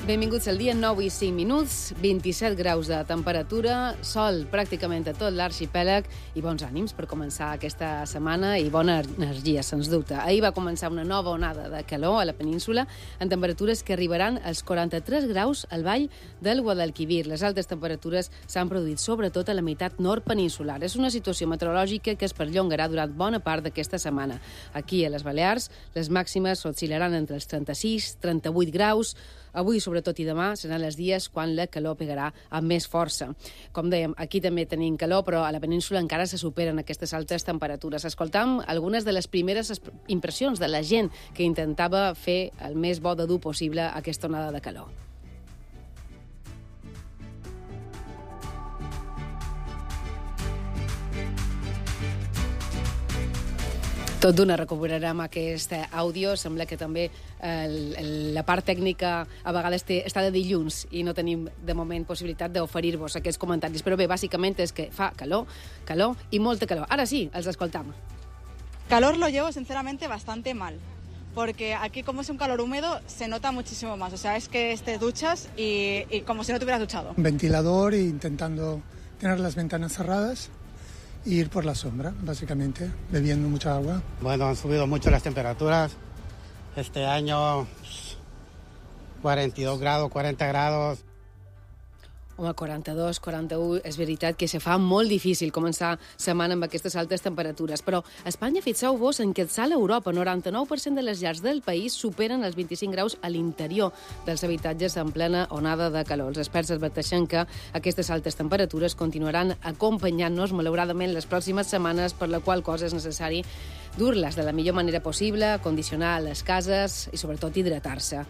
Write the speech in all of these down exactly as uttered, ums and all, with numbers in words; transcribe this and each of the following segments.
Benvinguts al dia, nou i cinc minuts, vint-i-set graus de temperatura, sol pràcticament a tot l'arxipèlag i bons ànims per començar aquesta setmana i bona energia, sens dubte. Ahir va començar una nova onada de calor a la península amb temperatures que arribaran als quaranta-tres graus al vall del Guadalquivir. Les altes temperatures s'han produït sobretot a la meitat nord peninsular. És una situació meteorològica que es perllongarà durant bona part d'aquesta setmana. Aquí, a les Balears, les màximes oscil·laran entre els trenta-sis i trenta-vuit graus. Avui, sobretot i demà, seran els dies quan la calor pegarà amb més força. Com dèiem, aquí també tenim calor, però a la península encara se superen aquestes altes temperatures. Escoltam algunes de les primeres impressions de la gent que intentava fer el més bo de dur possible aquesta onada de calor. Tot d'una recuperarem aquest àudio. Sembla que també el, el, la part tècnica a vegades té, està de dilluns i no tenim de moment possibilitat d'oferir-vos aquests comentaris. Però bé, bàsicament és que fa calor, calor i molta calor. Ara sí, els escoltam. Calor lo llevo sinceramente bastante mal, porque aquí como es un calor húmedo se nota muchísimo más. O sea, es que te duchas y, y como si no te hubieras duchado. Un ventilador e intentando tener las ventanas cerradas. Ir por la sombra, básicamente, bebiendo mucha agua. Bueno, han subido mucho las temperaturas. Este año, cuarenta y dos grados, cuarenta grados. Home, quaranta-dos, quaranta-u, és veritat que se fa molt difícil començar setmana amb aquestes altes temperatures. Però a Espanya, fixeu-vos, enquestada a Europa, noranta-nou per cent de les llars del país superen els vint-i-cinc graus a l'interior dels habitatges en plena onada de calor. Els experts adverteixen que aquestes altes temperatures continuaran acompanyant-nos, malauradament, les pròximes setmanes, per la qual cosa és necessari dur-les de la millor manera possible, condicionar les cases i, sobretot, hidratar-se.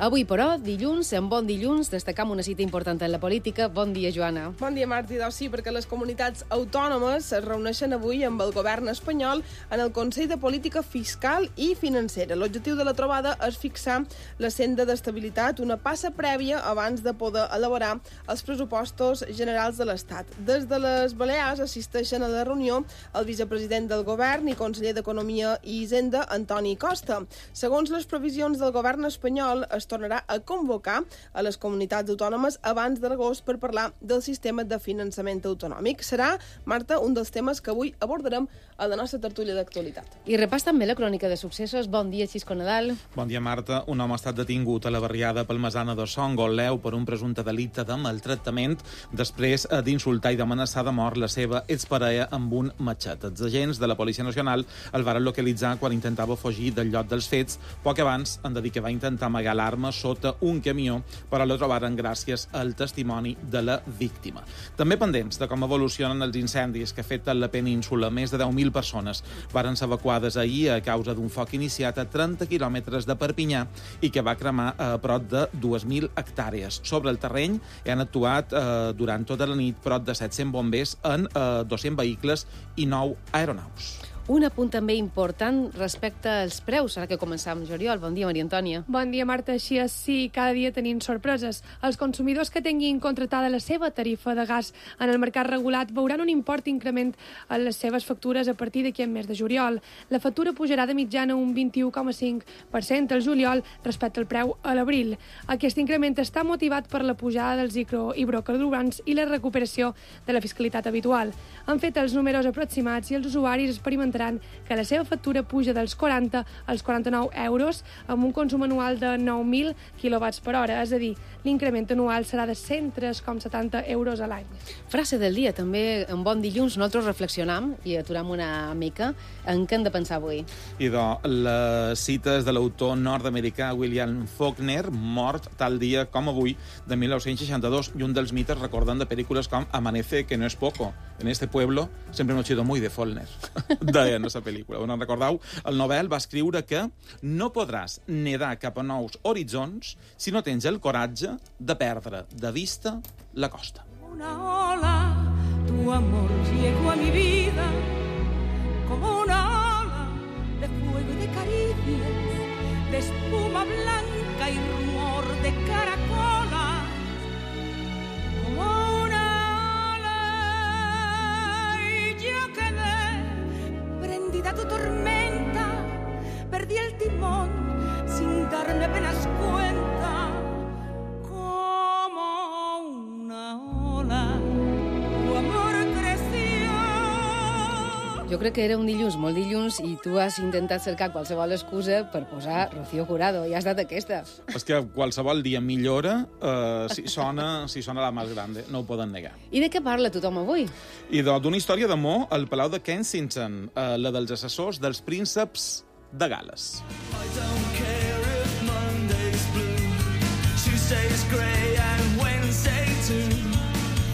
Avui, però, dilluns, en bon dilluns, destacam una cita important en la política. Bon dia, Joana. Bon dia, Martí. Doncs sí, perquè les comunitats autònomes es reuneixen avui amb el govern espanyol en el Consell de Política Fiscal i Financera. L'objectiu de la trobada és fixar la senda d'estabilitat, una passa prèvia abans de poder elaborar els pressupostos generals de l'Estat. Des de les Balears assisteixen a la reunió el vicepresident del govern i conseller d'Economia i Hisenda, Antoni Costa. Segons les previsions del govern espanyol, es tornarà a convocar a les comunitats autònomes abans de l'agost per parlar del sistema de finançament autonòmic. Serà, Marta, un dels temes que avui abordarem a la nostra tertúlia d'actualitat. I repàs també la crònica de successos. Bon dia, Xisco Nadal. Bon dia, Marta. Un home ha estat detingut a la barriada palmesana de Son Golleu per un presumpte delicte de maltractament després d'insultar i d'amenaçar de mort la seva exparella amb un matxet. Els agents de la Policia Nacional el varen localitzar quan intentava fugir del lloc dels fets. Poc abans han de dir que va intentar amagar l'arma sota un camió, però la trobaren gràcies al testimoni de la víctima. També pendents de com evolucionen els incendis que afecten la península. Més de deu mil persones varen ser evacuades ahir a causa d'un foc iniciat a trenta quilòmetres de Perpinyà i que va cremar a prop de dues mil hectàrees. Sobre el terreny hi han actuat eh, durant tota la nit prop de set-cents bombers en eh, dos-cents vehicles i nou aeronaus. Un apunt també important respecte als preus, ara que començam, Joriol. Bon dia, Maria Antònia. Bon dia, Marta. Així és, sí, cada dia tenim sorpreses. Els consumidors que tinguin contratada la seva tarifa de gas en el mercat regulat veuran un import increment en les seves factures a partir d'aquí en mes de juliol. La factura pujarà de mitjana un vint-i-u coma cinc per cent al juliol respecte al preu a l'abril. Aquest increment està motivat per la pujada dels hidrocarburants i la recuperació de la fiscalitat habitual. Han fet els números aproximats i els usuaris experimentaran que la seva factura puja dels quaranta als quaranta-nou euros amb un consum anual de nou mil quilowatts per hora, és a dir, l'increment anual serà de cent tres coma setanta euros a l'any. Frase del dia, també en bon dilluns nosaltres reflexionam i aturam una mica en què hem de pensar avui. Idò, les cites de l'autor nord-americà William Faulkner, mort tal dia com avui de mil nou-cents seixanta-dos, i un dels mites recordant de pel·lícules com Amanece, que no es poco. En este pueblo siempre hemos sido muy de Faulkner. Deia en aquesta pel·lícula. On recordeu, el Nobel va escriure que no podràs nedar cap a nous horitzons si no tens el coratge de perdre de vista la costa. Una ola, tu amor llegó a mi vida como una ola de fuego y de caricias, de espuma blanca y rumor de caracolas, como una ola, y yo quedé prendida a tu tormenta, perdí el timón sin darme apenas cuenta. Jo crec que era un dilluns, molt dilluns, i tu has intentat cercar qualsevol excusa per posar Rocío Jurado, i ha estat aquesta. És que qualsevol dia millora eh, si, sona, si sona la més grande, no ho poden negar. I de què parla tothom avui? I d'una història d'amor al Palau de Kensington, eh, la dels assessors dels prínceps de Gales. I don't care if Monday's blue, Tuesday's grey and Wednesday too,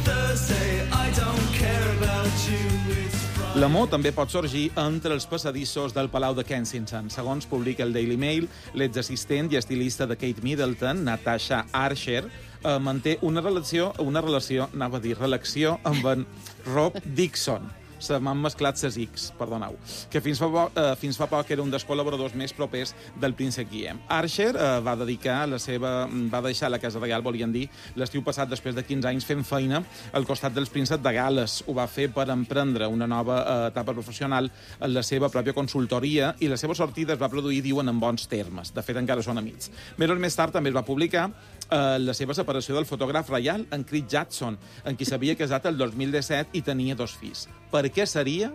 Thursday I don't care about you, it's Friday. L'amor també pot sorgir entre els passadissos del Palau de Kensington. Segons publica el Daily Mail, l'exassistent i estilista de Kate Middleton, Natasha Archer, eh, manté una relació, una relació, anava a dir relació, amb en Rob Dixon. Se m'han mesclat ses X, perdoneu, que fins fa, poc, eh, fins fa poc era un dels col·laboradors més propers del príncep Guillem. Archer eh, va dedicar la seva... va deixar la Casa Reial, volien dir, l'estiu passat després de quinze anys fent feina al costat dels prínceps de Gales. Ho va fer per emprendre una nova eh, etapa professional en la seva pròpia consultoria i la seva sortida es va produir, diuen, en bons termes. De fet, encara són amics. Mesos més tard també es va publicar eh, la seva separació del fotògraf reial, en Chris Jackson, en qui s'havia casat el dos mil disset i tenia dos fills. Per què seria?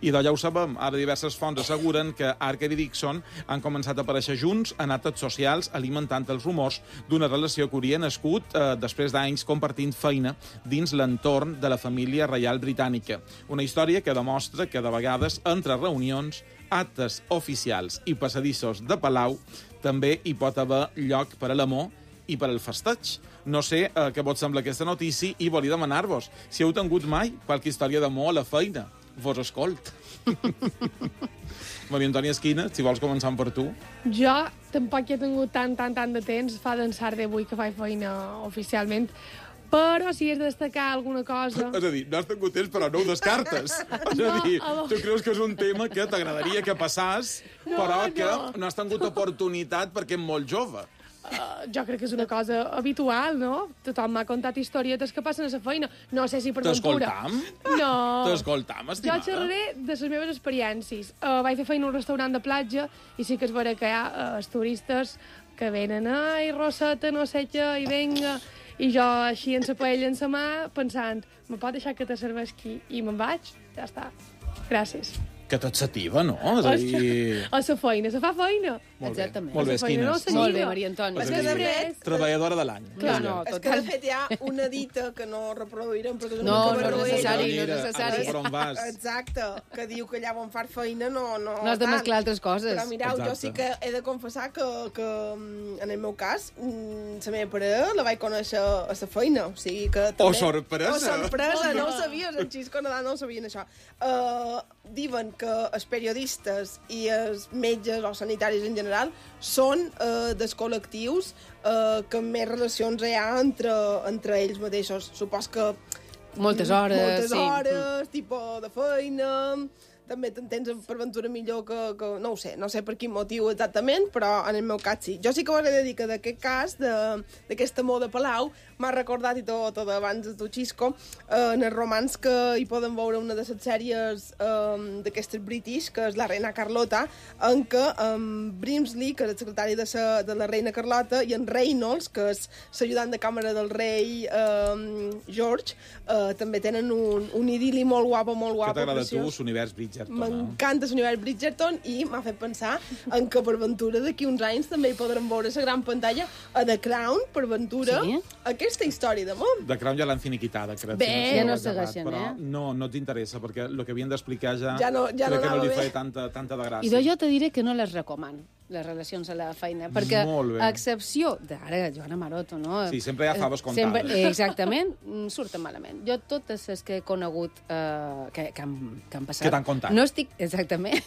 I doncs ja ho sabem, ara diverses fonts asseguren que Archer i Dixon han començat a aparèixer junts en actes socials alimentant els rumors d'una relació que hauria nascut eh, després d'anys compartint feina dins l'entorn de la família reial britànica. Una història que demostra que de vegades entre reunions, actes oficials i passadissos de palau també hi pot haver lloc per a l'amor i per al festeig. No sé eh, què vos sembla aquesta notícia i volia demanar-vos si heu tingut mai qualque història d'amor a la feina. Vos escolt. Maria Antònia Esquina, si vols començar per tu. Jo tampoc he tingut tant, tant, tant de temps, fa d'ençar d'avui que faig feina oficialment, però si és de destacar alguna cosa... És a dir, no has tingut temps, però no ho descartes. És a dir, No, tu creus que és un tema que t'agradaria que passàs, No, però que no. no has tingut oportunitat perquè és molt jove. Uh, jo crec que és una cosa habitual, no? Tothom m'ha contat historietes que passen a la feina. No sé si per ventura... T'escoltam? No. T'escoltam, Jo estimada? xerraré de les meves experiències. Uh, vaig fer feina a un restaurant de platja i sí que és vera que hi ha uh, els turistes que venen, ai, Roseta, no sé què, i venga... I jo així en la paella en la mà, pensant, me pot deixar que te serveixi? I me'n vaig, ja està. Gràcies. Que tot s'ativa, no? És a dir... A la feina, se fa feina. Molt bé, Exactament. molt bé, La feina no Esquines. s'ativa. Molt bé, Maria Antònia. És És que, a de dir, fet, treballadora de l'any. Clar, Millor. no, és que, total. de fet, hi ha una dita que no reproduirem, perquè és una No, mica no és barroera. necessari, no és Mira, necessari. ara per on vas? Exacte, que diu que allà on far feina no... No, No has de tant. mesclar altres coses. Però mireu, jo Exacte. sí que he de confessar que, que mm, en el meu cas, mm, la meva parella la vaig conèixer a la feina. O sigui que també... Oh, sorpresa! Oh, sorpresa! No ho sabies, en Xisco Nadal no ho sabien, això. Uh, diuen que els periodistes i els metges o sanitaris en general són uh, dels col·lectius uh, que més relacions hi ha entre, entre ells mateixos. Supos que Moltes hores, moltes sí. hores, tipus de feina... També t'entens per ventura millor que, que... No ho sé, no sé per quin motiu exactament, però en el meu cas sí. Jo sí que m'he de dir que d'aquest cas, d'aquest amor de Palau, m'ha recordat, i tot, tot abans de tu, Xisco, eh, en el romans que hi poden veure una de les sèries eh, d'aquestes British, que és la reina Carlota, en què eh, Brimsley, que és el secretari de, sa, de la reina Carlota, i en Reynolds, que és l'ajudant de càmera del rei eh, George, eh, també tenen un, un idili molt guapo, molt guapo, Què t'agrada a tu, preciós. l'univers Bridgerton? eh? M'encanta l'univers Bridgerton i m'ha fet pensar en que per ventura d'aquí uns anys també hi podrem veure la gran pantalla a The Crown, per ventura, Sí? aquesta història d'amor. De Crown ja l'han finiquitada, crec. Bé, si ja no ho has agarrat, segueixen, però eh? No, no t'interessa, perquè el que havien d'explicar ja, Ja no- ja no crec que no anava li bé. feia tanta, tanta de gràcia. I doncs jo te diré que no les recomano, les relacions a la feina, perquè Molt bé. a excepció d'ara, Joana Maroto, no? Sí, sempre hi ha faves Eh, comptades. Sempre, exactament, mm, surten malament. Jo totes les que he conegut eh, que, que, han, que han passat... Que t'han contat. No estic, exactament,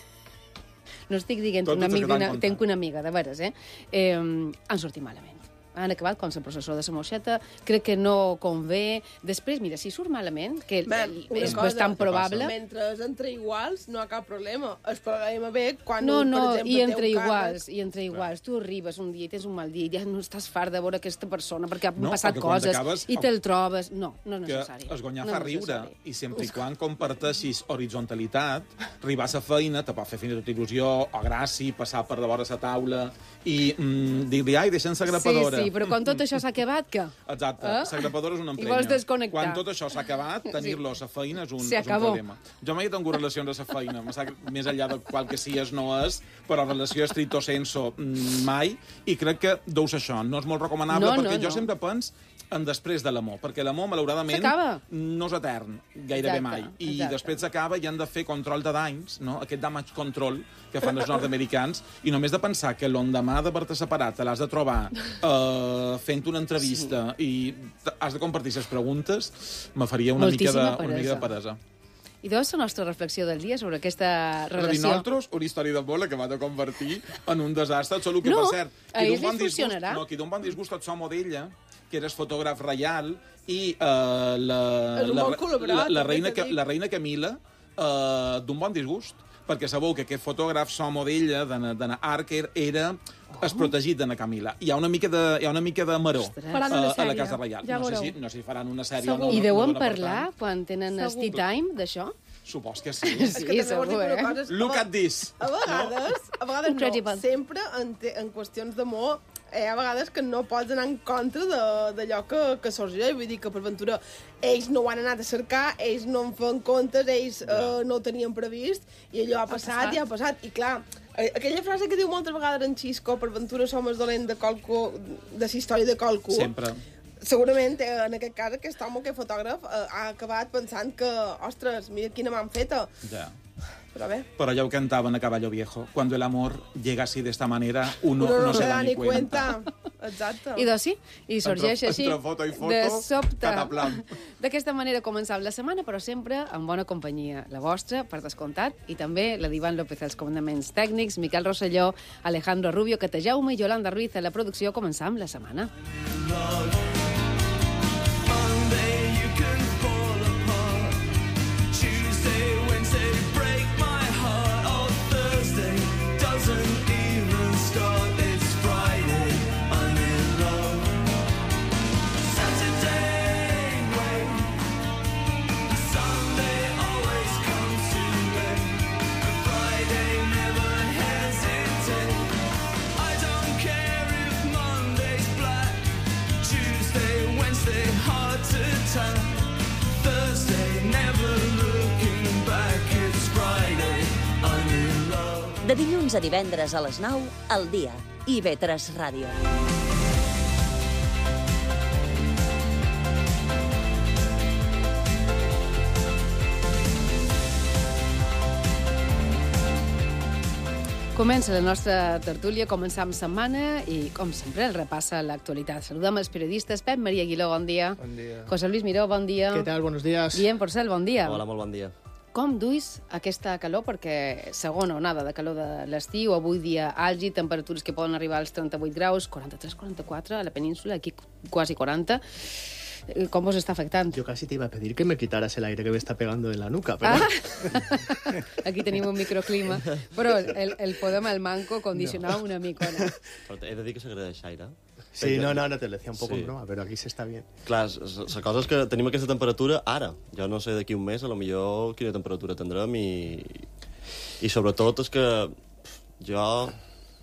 no estic dient Totes un les amic que t'han d'una... contat. Tenc una amiga, de veres, eh? eh han sortit malament. Han acabat com la processó de la moixeta, crec que no convé. Després, mira, si surt malament, que Man, una és cosa, bastant probable... Mentre entre iguals no hi ha cap problema. El problema ve quan, No, per no, exemple, i té entre un iguals, i entre iguals. Tu arribes un dia i tens un mal dia i ja no estàs fart de veure aquesta persona perquè han No, passat perquè quan coses t'acabes- i te'l trobes. No, no és que necessari. es guanyar no fa és riure, necessari. i sempre i quan comparteixis horizontalitat, arribar a la feina, te pot fer fins i tot il·lusió o gràcia, passar per davant la taula i mm, dir-li, ai, deixa'm la grapadora. Sí, Sí, però quan tot això s'ha acabat, què? Exacte, Eh? la grapadora és una I emprenya. vols desconnectar. Quan tot això s'ha acabat, tenir-lo a la feina és un, Se és un acabó. problema. Jo mai he tingut relacions a la feina, me sap que més enllà de qual que sia no és, però relació estricto senso mm, mai, i crec que deu ser això, no és molt recomanable, No, no, perquè jo no. sempre pens en després de l'amor, perquè l'amor, malauradament, S'acaba. no és etern, gairebé Exacte, mai. I exacte. després s'acaba i han de fer control de danys, no? Aquest damage control que fan els nord-americans, i només de pensar que l'endemà d'haver-te separat te l'has de trobar uh, fent una entrevista sí. i has de compartir les preguntes, me faria una mica, de, Moltíssima una mica de peresa. I doncs la nostra reflexió del dia sobre aquesta És a dir, relació... nosaltres, una història d'amor la que va de convertir en un desastre, solo que, No, per cert, a qui ells d'un bon li disgust, funcionarà. no, qui d'un bon disgust et som d'ella, que eres fotògraf reial, i uh, la, És un la, bon la, col·laborat, la, també reina, t'ho que, dic. la reina Camila, uh, d'un bon disgust, perquè sabeu que aquest fotògraf som d'ella, d'Anna Archer, era es protegit d'Anna Camila. Hi ha una mica de, hi ha una mica de maró Ostres. Faran uh, una a la sèrie, Casa Reial. ja no, sé veureu. si, no sé si faran una sèrie Segur. o no. I no, deuen no dona per parlar, tant. quan tenen el Segur. tea time, d'això? Supos que sí. És que Sí, també vols dir segur, una eh? cosa, és- Look at this. A vegades, a vegades Incredible. no, sempre en, te, en qüestions d'amor hi ha vegades que no pots anar en contra de- d'allò que, que sorgeix. Vull dir que, per ventura, ells no ho han anat a cercar, ells no en fan comptes, ells eh, no ho tenien previst, i allò ha passat, passat. i ha passat. I clar, eh, aquella frase que diu moltes vegades en Xisco, per ventura som els dolents de qualcú, de la història de qualcú, Sempre. segurament, eh, en aquest cas, aquest home, aquest fotògraf, eh, ha acabat pensant que, ostres, mira quina m'han feta. Ja. Però bé, Però ya lo cantaban a Caballo Viejo. Cuando el amor llega así de esta manera, uno, uno no, no se da ni cuenta. cuenta. Exacte. I doncs sí, i sorgeix Entre- així entre foto i foto, de sobte. cataplam. D'aquesta manera començava la setmana, però sempre en bona companyia. La vostra, per descomptat, i també la d'Ivan López als comandaments tècnics, Miquel Rosselló, Alejandro Rubio, Cata Jaume i Yolanda Ruiz a la producció. Començam la setmana. Monday you can fall apart. Tuesday, Wednesday break my heart. Oh, Thursday doesn't even start. It's Friday, I'm in love. Saturday, wait. Sunday always comes too late. But Friday never hesitate. I don't care if Monday's black. Tuesday, Wednesday, hard to tell. Thursday, never looking back. It's Friday, I'm in love. De dilluns a divendres a les nou, al dia. I ve tres Ràdio. Comença la nostra tertúlia, començam setmana i, com sempre, el repassa l'actualitat. Saludem els periodistes. Pep Maria Aguiló, bon dia. Bon dia. José Luis Miró, bon dia. ¿Qué tal? Buenos días. Guillem Porcel, bon dia. Hola, molt bon dia. Com duis aquesta calor? Perquè segona onada de calor de l'estiu, avui dia àlgid, temperatures que poden arribar als trenta-vuit graus, quaranta-tres quaranta-quatre a la península, aquí quasi quaranta. Eh, Com vos està afectant? Yo casi te iba a pedir que me quitaras el aire que me está pegando en la nuca, pero... Ah. Aquí tenim un microclima, però el, el podem al manco condicionar no. una micona. Però he de dir que s'agradeix aire. Sí, no, no, no, te lo decía un poco Sí. en broma, pero aquí se está bien. Clar, la cosa és que tenim aquesta temperatura ara. Jo no sé d'aquí un mes, a lo millor quina temperatura tindrem i, i sobretot és que pff, jo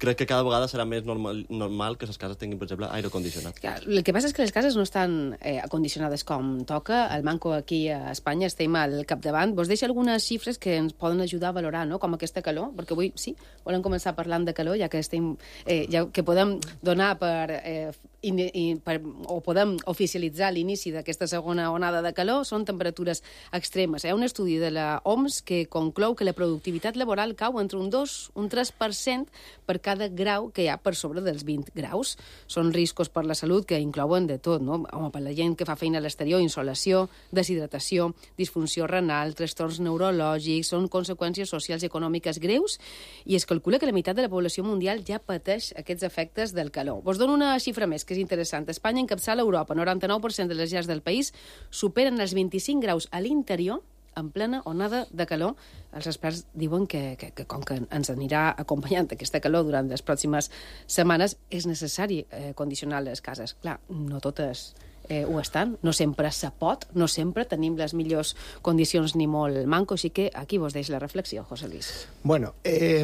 crec que cada vegada serà més normal, normal que les cases tinguin, per exemple, aire condicionat. Clar, el que passa és que les cases no estan eh, acondicionades com toca. El manco aquí a Espanya estem al capdavant. Vos deixo algunes xifres que ens poden ajudar a valorar, no?, com aquesta calor, perquè avui, sí, volem començar parlant de calor, ja que estem, eh, ja que podem donar per, eh, in, in, per o podem oficialitzar l'inici d'aquesta segona onada de calor, són temperatures extremes. Hi ha un estudi de la O M S que conclou que la productivitat laboral cau entre un dos i un tres per cent per cada grau que hi ha per sobre dels vint graus. Són riscos per la salut que inclouen de tot, no? Home, per la gent que fa feina a l'exterior, insolació, deshidratació, disfunció renal, trastorns neurològics, són conseqüències socials i econòmiques greus, i es calcula que la meitat de la població mundial ja pateix aquests efectes del calor. Vos dono una xifra més, que és interessant. Espanya encapçala Europa. noranta-nou per cent de les llars del país superen els vint-i-cinc graus a l'interior en plena onada de calor. Els experts diuen que, que, que com que ens anirà acompanyant aquesta calor durant les pròximes setmanes, és necessari eh, condicionar les cases. Clar, no totes eh, ho estan, no sempre se pot, no sempre tenim les millors condicions ni molt manco, així que aquí vos deix la reflexió, José Luis. Bueno, eh,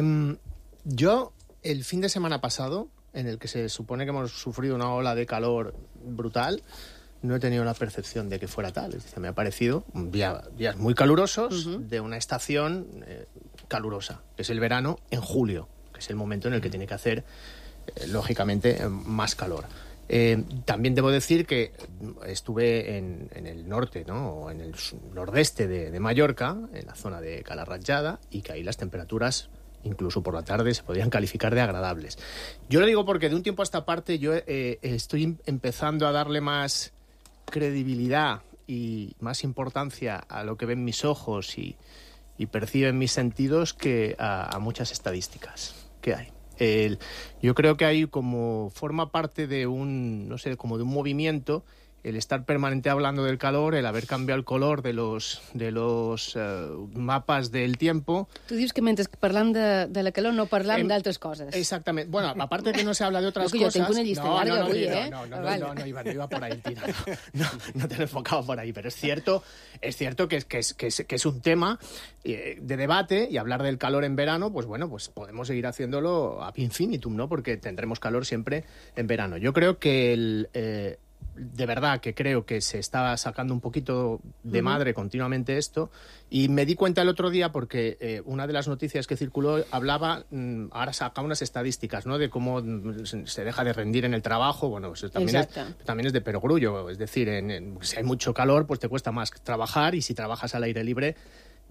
yo el fin de semana pasado en el que se supone que hemos sufrido una ola de calor brutal, no he tenido la percepción de que fuera tal. Es decir, me ha parecido día, días muy calurosos uh-huh. de una estación eh, calurosa, que es el verano en julio, que es el momento en el que tiene que hacer, eh, lógicamente, eh, más calor. Eh, también debo decir que estuve en, en el norte, ¿no? O en el nordeste de, de Mallorca, en la zona de Cala Ratjada, y que ahí las temperaturas, incluso por la tarde, se podían calificar de agradables. Yo lo digo porque de un tiempo a esta parte yo eh, estoy empezando a darle más credibilidad y más importancia a lo que ven mis ojos y, y perciben mis sentidos que a, a muchas estadísticas que hay. El, yo creo que hay como forma parte de un, no sé, como de un movimiento, el estar permanente hablando del calor, el haber cambiado el color de los, de los uh, mapas del tiempo. Tu dius que mentre parlam de, de la calor no parlam Em, d'altres coses. Exactamente. Bueno, aparte de que no se habla de otras no, que cosas... Yo tengo una lista no, larga no, no, avui, no, eh? No, no, no, vale. no, no, iba, no iba por ahí, tira. No, no, no te lo enfocaba por ahí, pero es cierto, es cierto que es, que es, que es, que es un tema eh, de debate, y hablar del calor en verano, pues bueno, pues podemos seguir haciéndolo ad infinitum, ¿no? Porque tendremos calor siempre en verano. Yo creo que el... Eh, de verdad que creo que se está sacando un poquito de uh-huh. madre continuamente esto, y me di cuenta el otro día porque eh, una de las noticias que circuló hablaba, mmm, ahora saca unas estadísticas, ¿no?, de cómo se deja de rendir en el trabajo. Bueno, eso también, es, también es de perogrullo, es decir, en, en, si hay mucho calor, pues te cuesta más trabajar, y si trabajas al aire libre,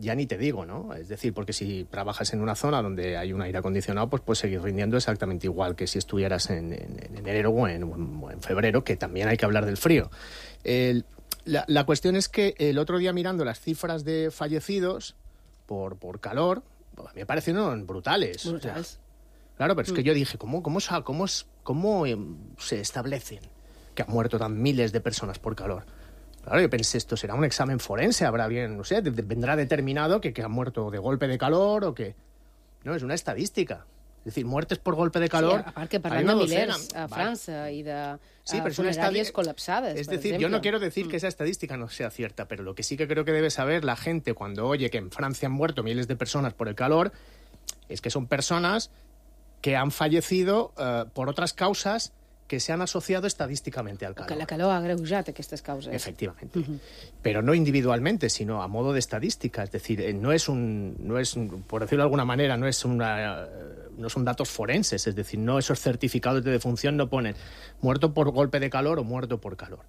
ya ni te digo, ¿no? Es decir, porque si trabajas en una zona donde hay un aire acondicionado, pues puedes seguir rindiendo exactamente igual que si estuvieras en, en, en enero o en, o en febrero, que también hay que hablar del frío. El, la, la cuestión es que el otro día, mirando las cifras de fallecidos por, por calor, a mí me parecieron brutales. Brutales. O sea, claro, pero es que yo dije, ¿cómo, cómo, cómo, cómo se establecen que han muerto tan miles de personas por calor? Claro, yo pensé, esto será un examen forense, habrá alguien, no sé, de, de, vendrá determinado que, que han muerto de golpe de calor o que... No, és una estadística. És dir, muertes por golpe de calor... Sí, a part que parlem de milers a França i de sí, pero funeràries colapsades. Es decir, yo no quiero decir mm. que esa estadística no sea cierta, pero lo que sí que creo que debe saber la gente cuando oye que en Francia han muerto miles de personas por el calor es que son personas que han fallecido uh, por otras causas que se han asociado estadísticamente al calor. Que la calor ha agreujat aquestes causes. Efectivamente. Uh-huh. Pero no individualmente, sino a modo de estadística. Es decir, no es un, no es, por decirlo de alguna manera, no es una, no son datos forenses. Es decir, no esos certificados de defunción no ponen muerto por golpe de calor o muerto por calor.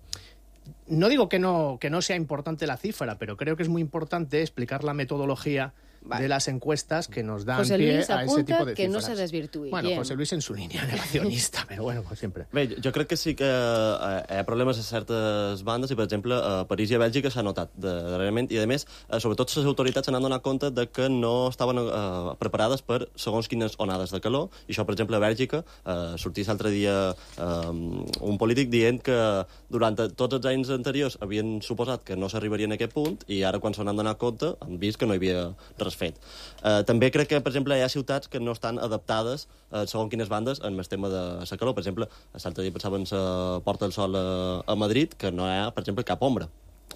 No digo que no, que no sea importante la cifra, pero creo que es muy importante explicar la metodología vale. de las encuestas que nos dan José pie Luis a ese tipo de que cifras. no se desvirtuï. Bueno, José Luis en su línia negacionista, però bueno, com sempre. Bé, jo crec que sí que eh, hi ha problemes a certes bandes i, per exemple, a París i a Bèlgica s'ha notat de, darrerament, i a més, eh, sobretot les autoritats s'han donat compte de que no estaven eh, preparades per segons quines onades de calor, i això, per exemple, a Bèlgica, eh, sortís l'altre dia eh, un polític dient que durant tots els anys anteriors havien suposat que no s'arribaria a aquest punt, i ara, quan se n'han donat compte, han vist que no hi havia res fet. Eh, també crec que, per exemple, hi ha ciutats que no estan adaptades eh, segons quines bandes en el tema de la calor. Per exemple, l'altre dia pensava en la Porta del Sol a, a Madrid, que no hi ha, per exemple, cap ombra.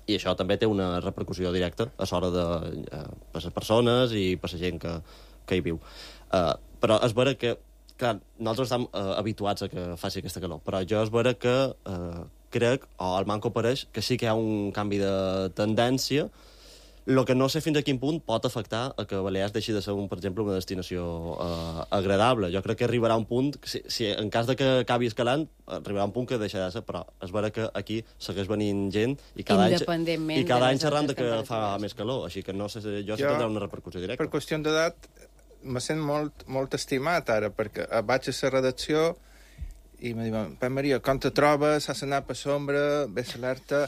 I això també té una repercussió directa a l'hora de eh, per les persones i per la gent que, que hi viu. Eh, però és vera que, clar, nosaltres estem eh, habituats a que faci aquesta calor, però jo és vera que eh, crec, o al manco pareix, que sí que hi ha un canvi de tendència. El que no sé fins a quin punt pot afectar a que Balears deixi de ser, un, per exemple, una destinació eh, agradable. Jo crec que arribarà un punt, si, si en cas de que acabi escalant, arribarà un punt que deixarà de ser, però és vera que aquí segueix venint gent i cada any, i cada any xerrant de que fa més calor, així que no sé si jo, jo tindrà una repercussió directa. Per qüestió d'edat, me sent molt, molt estimat ara, perquè vaig a la redacció i me diuen, Pep Maria, com te trobes? Has anat per sombra? Ves alerta?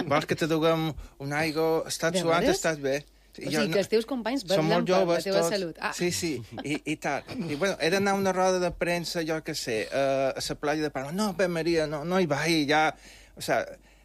Vols que te duguem un aigua? Estàs suant? Estàs bé? O sigui, jo, que els teus companys vetllen per la teva tots. Salut. Ah. Sí, sí, i, i tal. I, bueno, he d'anar a una roda de premsa, jo què sé, uh, a la platja de Palma. No, Pep Maria, no, no hi vaig, ja... O sea,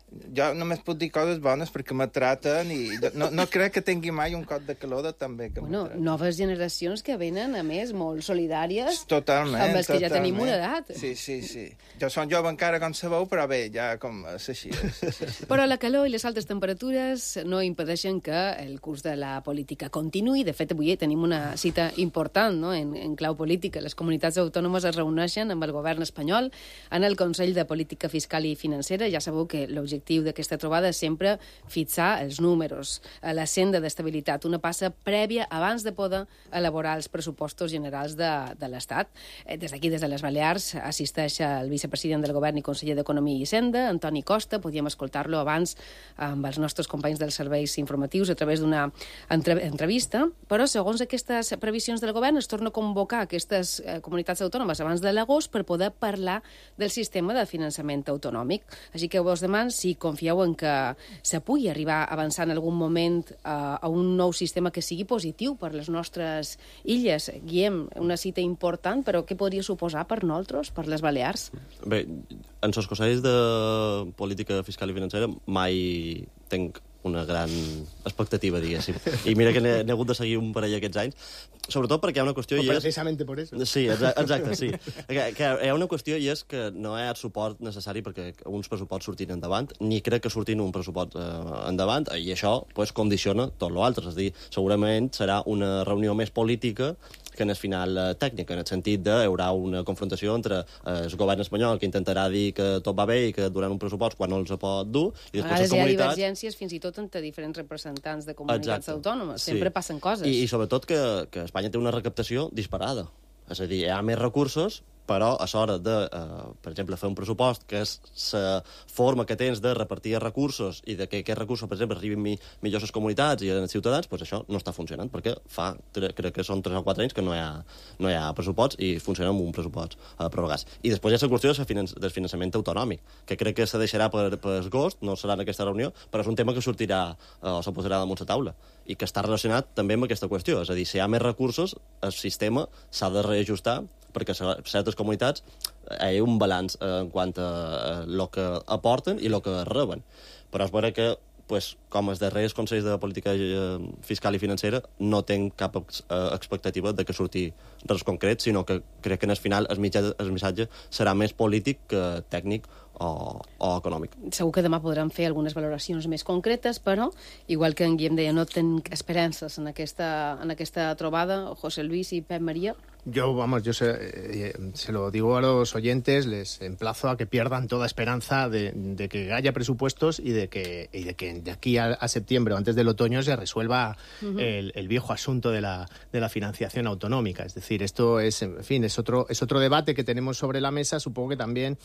jo només puc dir coses bones perquè me traten i no, no crec que tingui mai un cop de calor de tan bé que bueno, me traten. Noves generacions que venen, a més, molt solidàries totalment, amb els que totalment. ja tenim una edat. Sí, sí, sí. Jo som jove encara, com sabeu, però bé, ja com és així. És, és així. Però la calor i les altes temperatures no impedeixen que el curs de la política continuï. De fet, avui tenim una cita important, no?, en, en clau política. Les comunitats autònomes es reuneixen amb el govern espanyol en el Consell de Política Fiscal i Financera. Ja sabeu que l'objectiu d'aquesta trobada és sempre fixar els números, la senda d'estabilitat, una passa prèvia abans de poder elaborar els pressupostos generals de, de l'Estat. Des d'aquí, des de les Balears, assisteix el vicepresident del govern i conseller d'Economia i Hisenda, Antoni Costa. Podíem escoltar-lo abans amb els nostres companys dels serveis informatius a través d'una entre entrevista, però segons aquestes previsions del govern es torna a convocar aquestes eh, comunitats autònomes abans de l'agost per poder parlar del sistema de finançament autonòmic. Així que vos deman si confieu en que se pugui arribar a avançar en algun moment eh, a un nou sistema que sigui positiu per les nostres illes. Guillem, una cita important, però què podria suposar per nosaltres, per les Balears? Bé, en els consells de política fiscal i financera mai tenc una gran expectativa, diguéssim. I mira que n'he hagut de seguir un parell aquests anys, sobretot perquè hi ha una qüestió... O i és... precisament per això. Sí, exacte, sí. Que, que hi ha una qüestió i és que no hi ha suport necessari perquè uns pressuposts surtin endavant, ni crec que surtin un pressupost eh, endavant, i això pues, condiciona tot l'altre. És a dir, segurament serà una reunió més política que en el final eh, tècnic, en el sentit de hi haurà una confrontació entre eh, el govern espanyol, que intentarà dir que tot va bé i que duran un pressupost quan no els pot dur, i després les comunitats... hi ha divergències fins i tot entre diferents representants de comunitats Exacte. autònomes. Sí. Sempre passen coses. I, i sobretot que, que Espanya té una recaptació disparada. És a dir, hi ha més recursos, però a l'hora de, eh, per exemple, fer un pressupost, que és la forma que tens de repartir recursos i de que aquests recursos, per exemple, arribin mi, millor a les comunitats i als ciutadans, doncs això no està funcionant, perquè fa, crec que són tres o quatre anys que no hi ha, no hi ha pressupost i funciona amb un pressupost eh, prorrogats. I després hi ha la qüestió del finançament autonòmic, que crec que se deixarà per, per agost, no serà en aquesta reunió, però és un tema que sortirà eh, o se posarà damunt la taula i que està relacionat també amb aquesta qüestió. És a dir, si hi ha més recursos, el sistema s'ha de reajustar perquè certes comunitats hi ha un balanç en quant a el que aporten i el que reben. Però és vera que, pues, com els darrers consells de política fiscal i financera, no tenc cap expectativa de que surti res concret, sinó que crec que en el final el missatge, el missatge serà més polític que tècnic o, o econòmic. Segur que demà podran fer algunes valoracions més concretes, però, igual que en Guillem deia, no tenc esperances en aquesta, en aquesta trobada. José Luis i Pep María. Yo, vamos, yo se, eh, se lo digo a los oyentes, les emplazo a que pierdan toda esperanza de, de que haya presupuestos y de que, y de que de aquí a, a septiembre o antes del otoño se resuelva uh-huh. el, el viejo asunto de la, de la financiación autonómica. Es decir, esto es, en fin, es otro, es otro debate que tenemos sobre la mesa. Supongo que también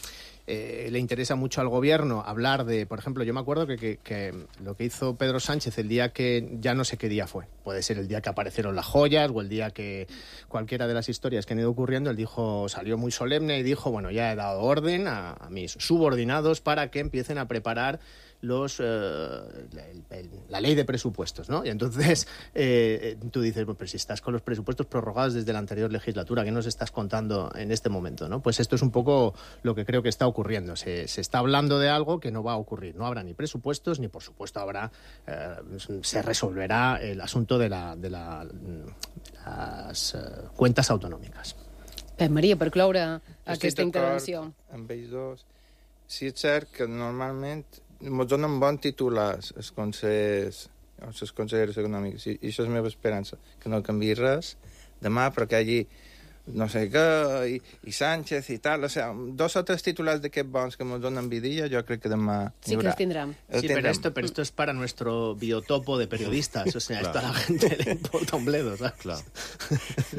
eh, le interesa mucho al gobierno hablar de, por ejemplo, yo me acuerdo que, que, que lo que hizo Pedro Sánchez el día que, ya no sé qué día fue, puede ser el día que aparecieron las joyas o el día que cualquiera de las historias que han ido ocurriendo, él dijo, salió muy solemne y dijo, bueno, ya he dado orden a, a mis subordinados para que empiecen a preparar los eh, el, el, la ley de presupuestos, ¿no? Y entonces eh, tú dices, pues, pero si estás con los presupuestos prorrogados desde la anterior legislatura, ¿qué nos estás contando en este momento, no? Pues esto es un poco lo que creo que está ocurriendo. Se, se está hablando de algo que no va a ocurrir. No habrá ni presupuestos, ni por supuesto habrá eh, se resolverá el asunto de, la, de, la, de las eh, cuentas autonòmiques. Pep Maria, per cloure aquesta Estic intervenció. amb ells dos. Sí, és cert que normalment ens donen bon titulars els consells, els conselleros econòmics, i, i això és la meva esperança, que no canvi res demà, però que hi hagi no sé què, i, i Sánchez i tal, o sea, dos o tres titulars d'aquests bons que ens donen vidilla, jo crec que demà sí que els tindrem. Sí, pero esto, pero esto es para nuestro biotopo de periodistas, o sea, claro. Esto a la gente le importa un bledo, ¿sabes? Claro.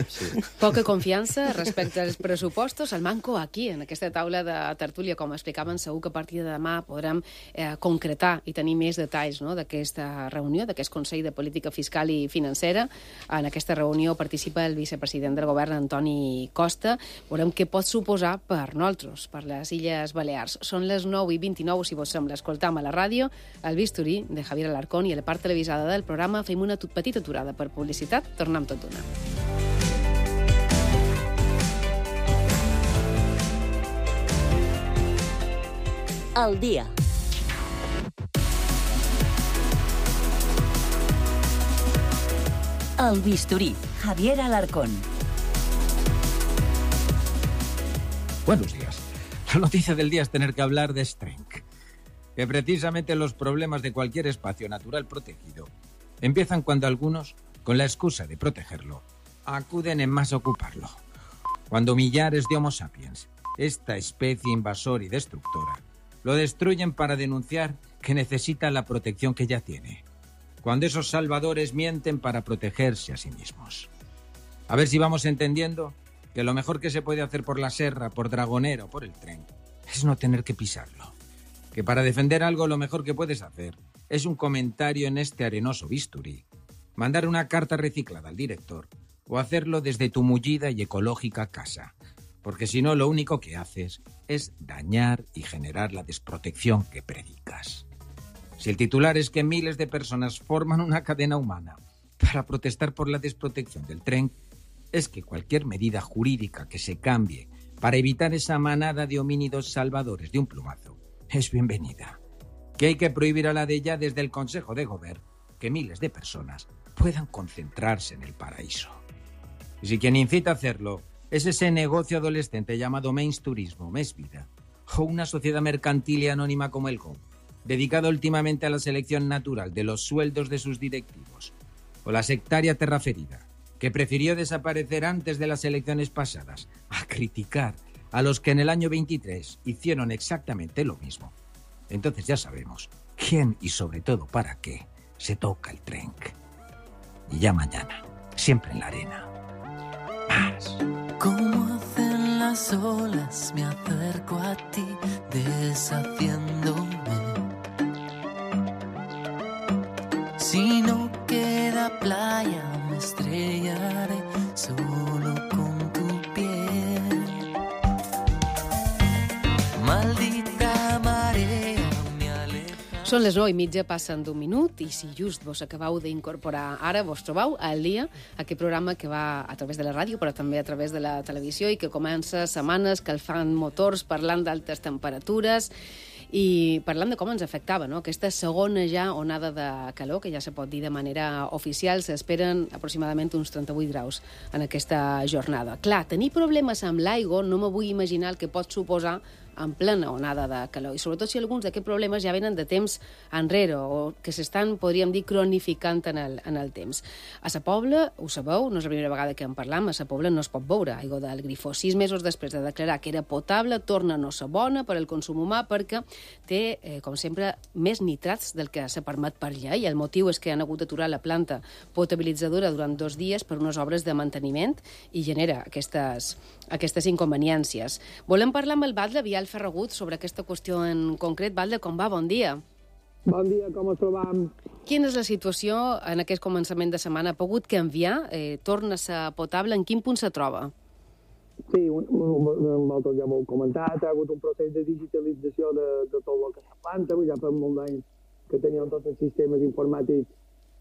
Sí. Poca confiança respecte als pressupostos, el manco aquí, en aquesta taula de tertúlia, com explicaven, segur que a partir de demà podrem eh, concretar i tenir més detalls, no?, d'aquesta reunió, d'aquest Consell de Política Fiscal i Financera. En aquesta reunió participa el vicepresident del govern, Antoni Costa. Veurem què pot suposar per nosaltres, per les Illes Balears. Són les nou i vint-i-nou, si vos sembla. Escoltam a la ràdio el bisturí de Javier Alarcón i a la part televisada del programa fem una petita aturada per publicitat. Tornem tot d'una. El dia. El Bisturí, Javier Alarcón. Buenos días. La noticia del día es tener que hablar de Strenk, que precisamente los problemas de cualquier espacio natural protegido empiezan cuando algunos, con la excusa de protegerlo, acuden en masa a ocuparlo. Cuando millares de Homo sapiens, esta especie invasora y destructora, lo destruyen para denunciar que necesita la protección que ya tiene. Cuando esos salvadores mienten para protegerse a sí mismos. A ver si vamos entendiendo que lo mejor que se puede hacer por la serra, por Dragonera o por el tren es no tener que pisarlo. Que para defender algo lo mejor que puedes hacer es un comentario en este arenoso bisturí, mandar una carta reciclada al director o hacerlo desde tu mullida y ecológica casa. Porque si no, lo único que haces es dañar y generar la desprotección que predicas. Si el titular es que miles de personas forman una cadena humana para protestar por la desprotección del tren, es que cualquier medida jurídica que se cambie para evitar esa manada de homínidos salvadores de un plumazo es bienvenida. Que hay que prohibir a la de ella desde el Consejo de Gobierno que miles de personas puedan concentrarse en el paraíso. Y si quien incita a hacerlo es ese negocio adolescente llamado Mains Turismo, Mes Vida, o una sociedad mercantil y anónima como el G O B, dedicado últimamente a la selección natural de los sueldos de sus directivos, o la sectaria Terraferida, que prefirió desaparecer antes de las elecciones pasadas, a criticar a los que en el año veintitrés hicieron exactamente lo mismo. Entonces ya sabemos quién y sobre todo para qué se toca el tren. Y ya mañana, siempre en la arena. Más. Como hacen las olas, me acerco a ti, deshaciéndome. Si no queda playa, me estrellaré solo con tu piel. Maldita marea me aleja. Són les nou i mitja, passen d'un minut, i si just vos acabeu d'incorporar ara, vos trobeu al dia aquest programa que va a través de la ràdio, però també a través de la televisió, i que comença setmanes calfant motors, parlant d'altes temperatures, i parlant de com ens afectava, no? Aquesta segona ja onada de calor, que ja se pot dir de manera oficial, s'esperen aproximadament uns trenta-vuit graus en aquesta jornada. Clar, tenir problemes amb l'aigua no me vull imaginar el que pot suposar en plena onada de calor, i sobretot si alguns d'aquests problemes ja venen de temps enrere o que s'estan, podríem dir, cronificant en el, en el temps. A Sa Pobla, ho sabeu, no és la primera vegada que en parlam, a Sa Pobla no es pot beure aigua del grifó. Sis mesos després de declarar que era potable, torna a no ser bona per al consum humà perquè té, eh, com sempre, més nitrats del que s'ha permet per llei. El motiu és que han hagut d'aturar la planta potabilitzadora durant dos dies per unes obres de manteniment i genera aquestes, aquestes inconveniències. Volem parlar amb el Batlle Vial Ferragut sobre aquesta qüestió en concret. Batlle, com va? Bon dia. Bon dia, com ens trobam? Quina és la situació en aquest començament de setmana? Ha pogut canviar? Eh, torna a ser potable? En quin punt se troba? Sí, un, un, un, ja m'ho heu comentat, ha hagut un procés de digitalització de, de tot el que és planta, ja fa molt d'anys que teníem tots els sistemes informàtics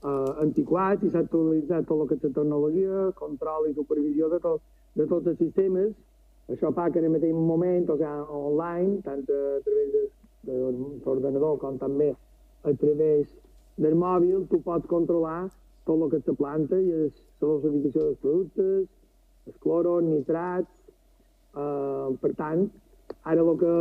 eh, antiquats i s'ha actualitzat tot el que és la tecnologia, control i supervisió de, tot, de tots els sistemes. Això fa que en el mateix moment, o sigui, online, tant a través de, de l'ordenador com també a través del mòbil, tu pots controlar tot el que és la planta i la dosificació dels productes, els cloros, nitrats. Eh, per tant, ara el que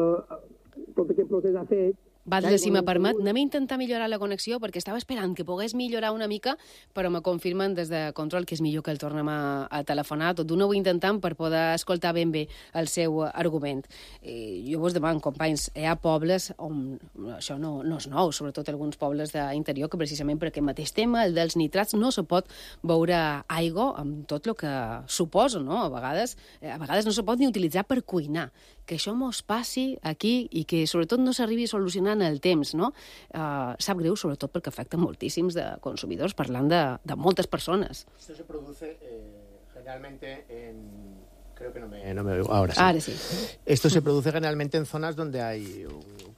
tot aquest procés ha fet... Batlle, si me permet, anem a intentar millorar la connexió, perquè estava esperant que pogués millorar una mica, però me confirmen des de control que és millor que el tornem a, a telefonar. Tot d'una ho intentant per poder escoltar ben bé el seu argument. Eh, jo vos demano, companys, hi ha pobles on això no, no és nou, sobretot alguns pobles d'interior, que precisament per aquest mateix tema, el dels nitrats, no se pot beure aigua amb tot el que suposa, no? A vegades, a vegades no se pot ni utilitzar per cuinar. Que això mos passi aquí i que sobretot no s'arribi a solucionar en el temps, no? Uh, sap greu, sobretot perquè afecta moltíssims de consumidors, parlant de, de moltes persones. Esto se produce eh, generalmente en... Creo que no me, no me oigo. Ahora sí. Ahora sí. Esto se produce generalmente en zonas donde hay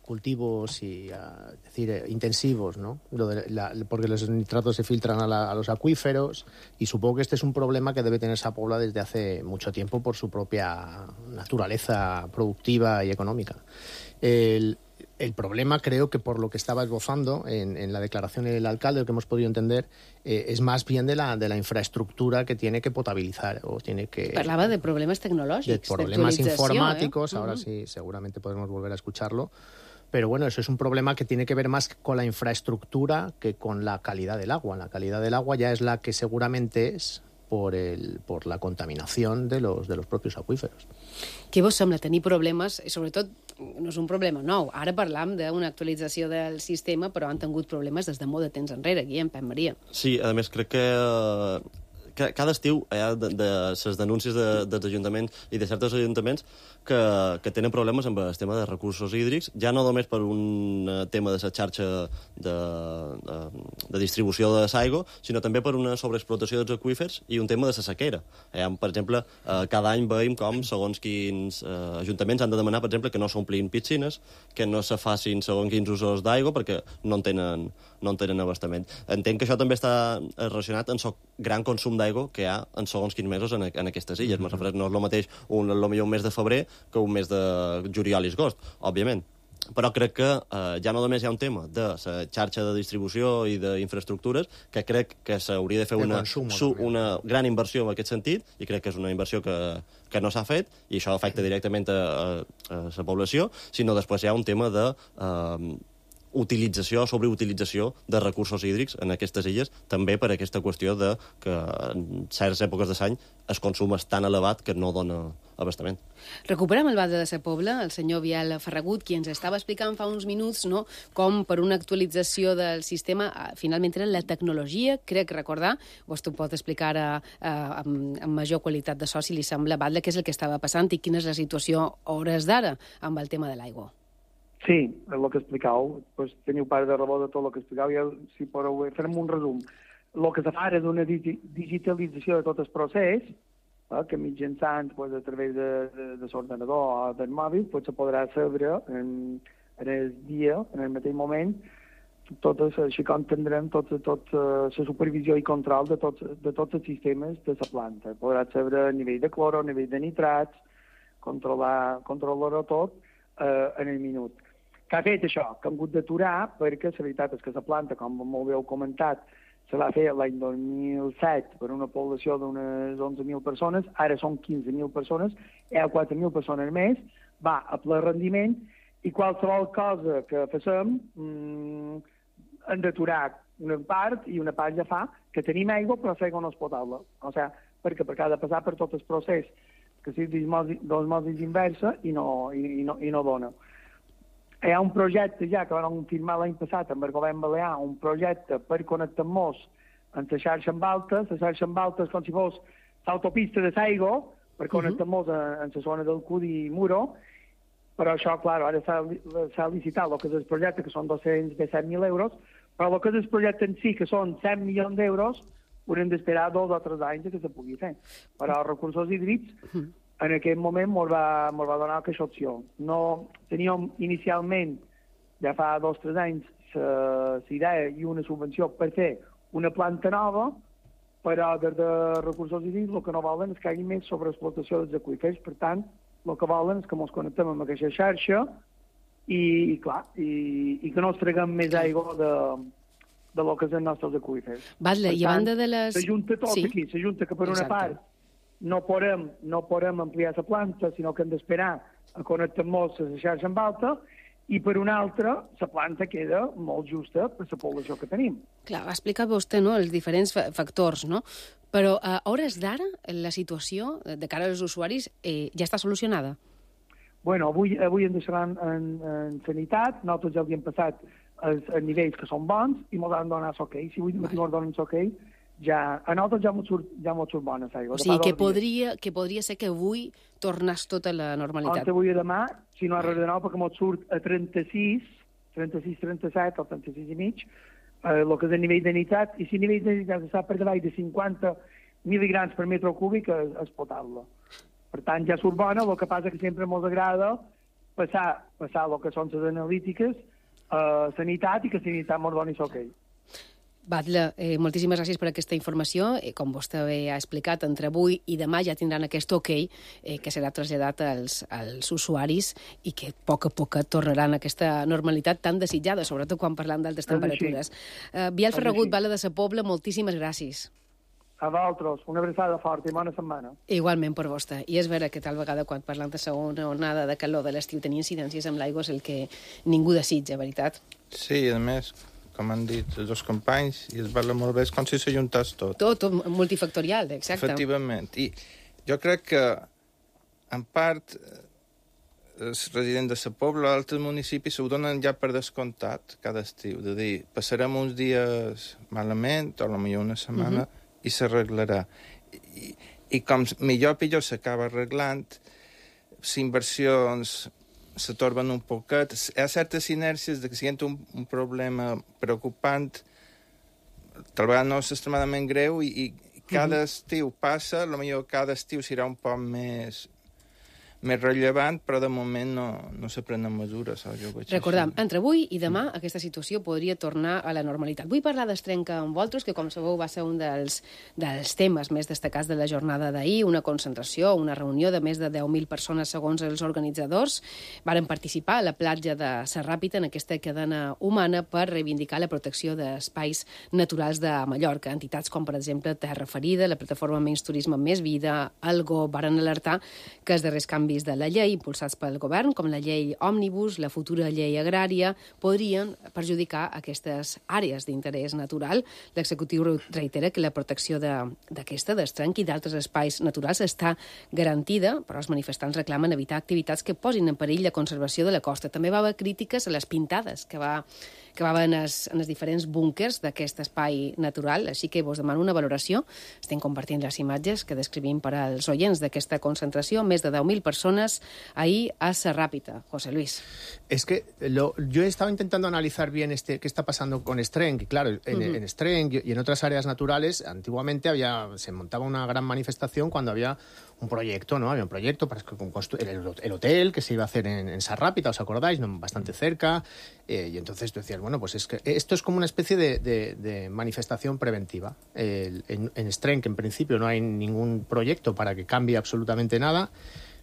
cultivos y, uh, es decir, eh, intensivos, ¿no? Lo de la, porque los nitratos se filtran a, la, a los acuíferos y supongo que este es un problema que debe tener Sa Pobla desde hace mucho tiempo por su propia naturaleza productiva y económica. El, el problema, creo que por lo que estaba esbozando en, en la declaración del alcalde, lo que hemos podido entender, eh, es más bien de la, de la infraestructura que tiene que potabilizar o tiene que... Parlava de problemes tecnològics, de problemas informáticos, eh? ahora sí, seguramente podemos volver a escucharlo. Pero bueno, eso es un problema que tiene que ver más con la infraestructura que con la calidad del agua. La calidad del agua ya es la que seguramente es por, el, por la contaminación de los, de los propios acuíferos. Què vos sembla tenir problemes, i sobretot no és un problema nou, ara parlam d'una actualització del sistema, però han tingut problemes des de molt de temps enrere, Guillem, Pep Maria. Sí, a més crec que que cada estiu hi ha de, de les denúncies de, dels ajuntaments i de certs ajuntaments que, que tenen problemes amb el tema de recursos hídrics, ja no només per un tema de la xarxa de, de, de distribució de l'aigua, sinó també per una sobreexplotació dels aqüífers i un tema de la sequera. Ha, per exemple, eh, cada any veiem com segons quins eh, ajuntaments han de demanar, per exemple, que no s'omplin piscines, que no se facin segons quins usos d'aigua perquè no en tenen, no en tenen abastament. Entenc que això també està relacionat amb el gran consum d'aigua que hi ha en segons quins mesos en, en aquestes illes. Mm -hmm. No és el mateix un, el millor un mes de febrer que un mes de juliol i agost, òbviament. Però crec que eh, ja no només hi ha un tema de la xarxa de distribució i d'infraestructures, que crec que s'hauria de fer una, consum, su, una gran inversió en aquest sentit, i crec que és una inversió que, que no s'ha fet, i això afecta directament a, a, a la població, sinó després hi ha un tema de... Eh, utilització, sobreutilització de recursos hídrics en aquestes illes, també per aquesta qüestió de que en certes èpoques de l'any el consum és tan elevat que no dona abastament. Recuperem el batlle de la Pobla, el senyor Biel Ferragut, qui ens estava explicant fa uns minuts, no?, com per una actualització del sistema finalment era la tecnologia, crec recordar, vostè ho pot explicar a, a, amb, amb major qualitat de so, si li sembla, batlle, què és el que estava passant i quina és la situació a hores d'ara amb el tema de l'aigua. Sí, el que explicau, pues, teniu part de raó de tot el que explicau, i si podeu fer-me un resum. El que se fa és una digitalització de tot el procés, eh, que mitjançant pues, a través de, de, de l'ordenador o del mòbil pues, se podrà saber en, en el dia, en el mateix moment, totes, així com tindrem tota tot, la supervisió i control de tots, de tots els sistemes de la planta. Podrà saber a nivell de cloro, a nivell de nitrats, controlar, controlar-ho tot eh, en el minut. Que ha fet això? Que hem hagut d'aturar perquè la veritat és que la planta, com molt bé heu comentat, se l'ha fet l'any dos mil set per una població d'unes onze mil persones, ara són quinze mil persones, hi ha quatre mil persones més, va a ple rendiment, i qualsevol cosa que facem mmm, hem d'aturar una part, i una part ja fa que tenim aigua, però l'aigua no és potable. O sigui, perquè, perquè ha de passar per tot el procés, que sigui d'osmosis inversa i no, i, i no, i no dona. Hi ha un projecte ja que vam firmar l'any passat amb el govern balear, un projecte per connectar-nos amb la xarxa amb altes, la xarxa amb altes com si fos l'autopista de Saigo, per connectar-nos uh -huh. en la zona del Cudi i Muro, però això, clar, ara s'ha licitat el que és el projecte, que són dos-cents disset mil euros, però el que és el projecte en si, que són cent milions d'euros, haurem d'esperar dos o tres anys que se pugui fer. Però els recursos hídrics uh -huh. en aquell moment ens va, va donar aquesta opció. No, teníem inicialment, ja fa dos o tres anys, la idea i una subvenció per fer una planta nova, però des de recursos hídrics el que no volen és que hi hagi més sobreexplotació dels aqüífers. Per tant, el que volen és que ens connectem amb aquesta xarxa i, i clar, i, i que no ens treguem més aigua de, de lo que és els nostres aqüífers. Batlle, i a banda de les... S'ajunta tot sí. aquí, s'ajunta que per una Exacte. part no podem, no podem ampliar la planta, sinó que hem d'esperar a connectar-nos a la xarxa amb alta, i per una altra, la planta queda molt justa per la població que tenim. Clar, va explicar vostè, no?, els diferents fa factors, no? Però a hores d'ara, la situació de cara als usuaris eh, ja està solucionada? Bueno, avui, avui hem deixat en, en, en sanitat, nosaltres ja havíem passat els, els nivells que són bons i ens han donat l'ok. Si avui mateix ens donen l'ok, ja, a nosaltres ja ens surt, ja surt bona l'aigua. O sigui, que podria, que podria ser que avui tornés tota la normalitat. Avui i demà, si no res de nou, perquè ens surt a trenta-sis, trenta-sis, trenta-set o trenta-sis i mig, eh, el que és el nivell de nitrat, i si el nivell de nitrat està per davall de cinquanta mil·ligrams per metre cúbic, és, és potable. Per tant, ja surt bona, el que passa que sempre ens agrada passar, passar el que són les analítiques a sanitat i que sanitat ens doni l'ok. Batlle, eh, moltíssimes gràcies per aquesta informació. Eh, com vostè bé ha explicat, entre avui i demà ja tindran aquest ok eh, que serà traslladat als, als usuaris i que a poc a poc tornaran a aquesta normalitat tan desitjada, sobretot quan parlam d'altes temperatures. Eh, Biel Ferragut, Bala de sa Pobla, moltíssimes gràcies. A vosaltres, una abraçada forta i bona setmana. Igualment per vostè. I és vera que tal vegada quan parlant de segona onada de calor de l'estiu tenir incidències amb l'aigua és el que ningú desitja, veritat? Sí, a més, com han dit els dos companys, i es parla molt bé, és com si s'ajuntés tot. Tot, tot multifactorial, exacte. Efectivament. I jo crec que, en part, els residents de la Pobla, altres municipis, ho donen ja per descomptat cada estiu. De dir, passarem uns dies malament, o potser una setmana, uh-huh. i s'arreglarà. I, I com millor o pitjor s'acaba arreglant, les inversions se torben un poquet. Hi ha certes inèrcies de que si hi ha un, un problema preocupant, tal vegada no és extremadament greu i, i cada uh-huh. estiu passa, potser cada estiu serà un poc més, més rellevant, però de moment no, no se prenen mesures. Jo Recordam, entre avui i demà aquesta situació podria tornar a la normalitat. Vull parlar d'Estrenca amb vosaltres, que com sabeu va ser un dels, dels temes més destacats de la jornada d'ahir, una concentració, una reunió de més de deu mil persones segons els organitzadors. Varen participar a la platja de Serràpita en aquesta cadena humana per reivindicar la protecció d'espais naturals de Mallorca. Entitats com, per exemple, Terra Ferida, la plataforma Menys Turisme Més Vida, Algo, varen alertar que els darrers canvis de la llei impulsats pel govern, com la llei Òmnibus, la futura llei agrària, podrien perjudicar aquestes àrees d'interès natural. L'executiu reitera que la protecció d'aquesta, d'Estrenc i d'altres espais naturals està garantida, però els manifestants reclamen evitar activitats que posin en perill la conservació de la costa. També va haver crítiques a les pintades que va que va haver en els, en els diferents búnkers d'aquest espai natural, així que vos demano una valoració. Estem compartint les imatges que descrivim per als oients d'aquesta concentració, més de deu mil persones ahí a Serràpita. José Luis. Es que lo, yo he estado intentando analizar bien este qué está pasando con Estrenc. Y claro, en, uh-huh. en Estrenc y en otras áreas naturales, antiguamente había se montaba una gran manifestación cuando había un proyecto, ¿no? Había un proyecto para construir el, el hotel que se iba a hacer en, en Serràpita, ¿os acordáis? ¿No? Bastante cerca. Eh, y entonces tú decías, bueno, pues es que esto es como una especie de, de, de manifestación preventiva. Eh, en, en Estrenc, en principio, no hay ningún proyecto para que cambie absolutamente nada.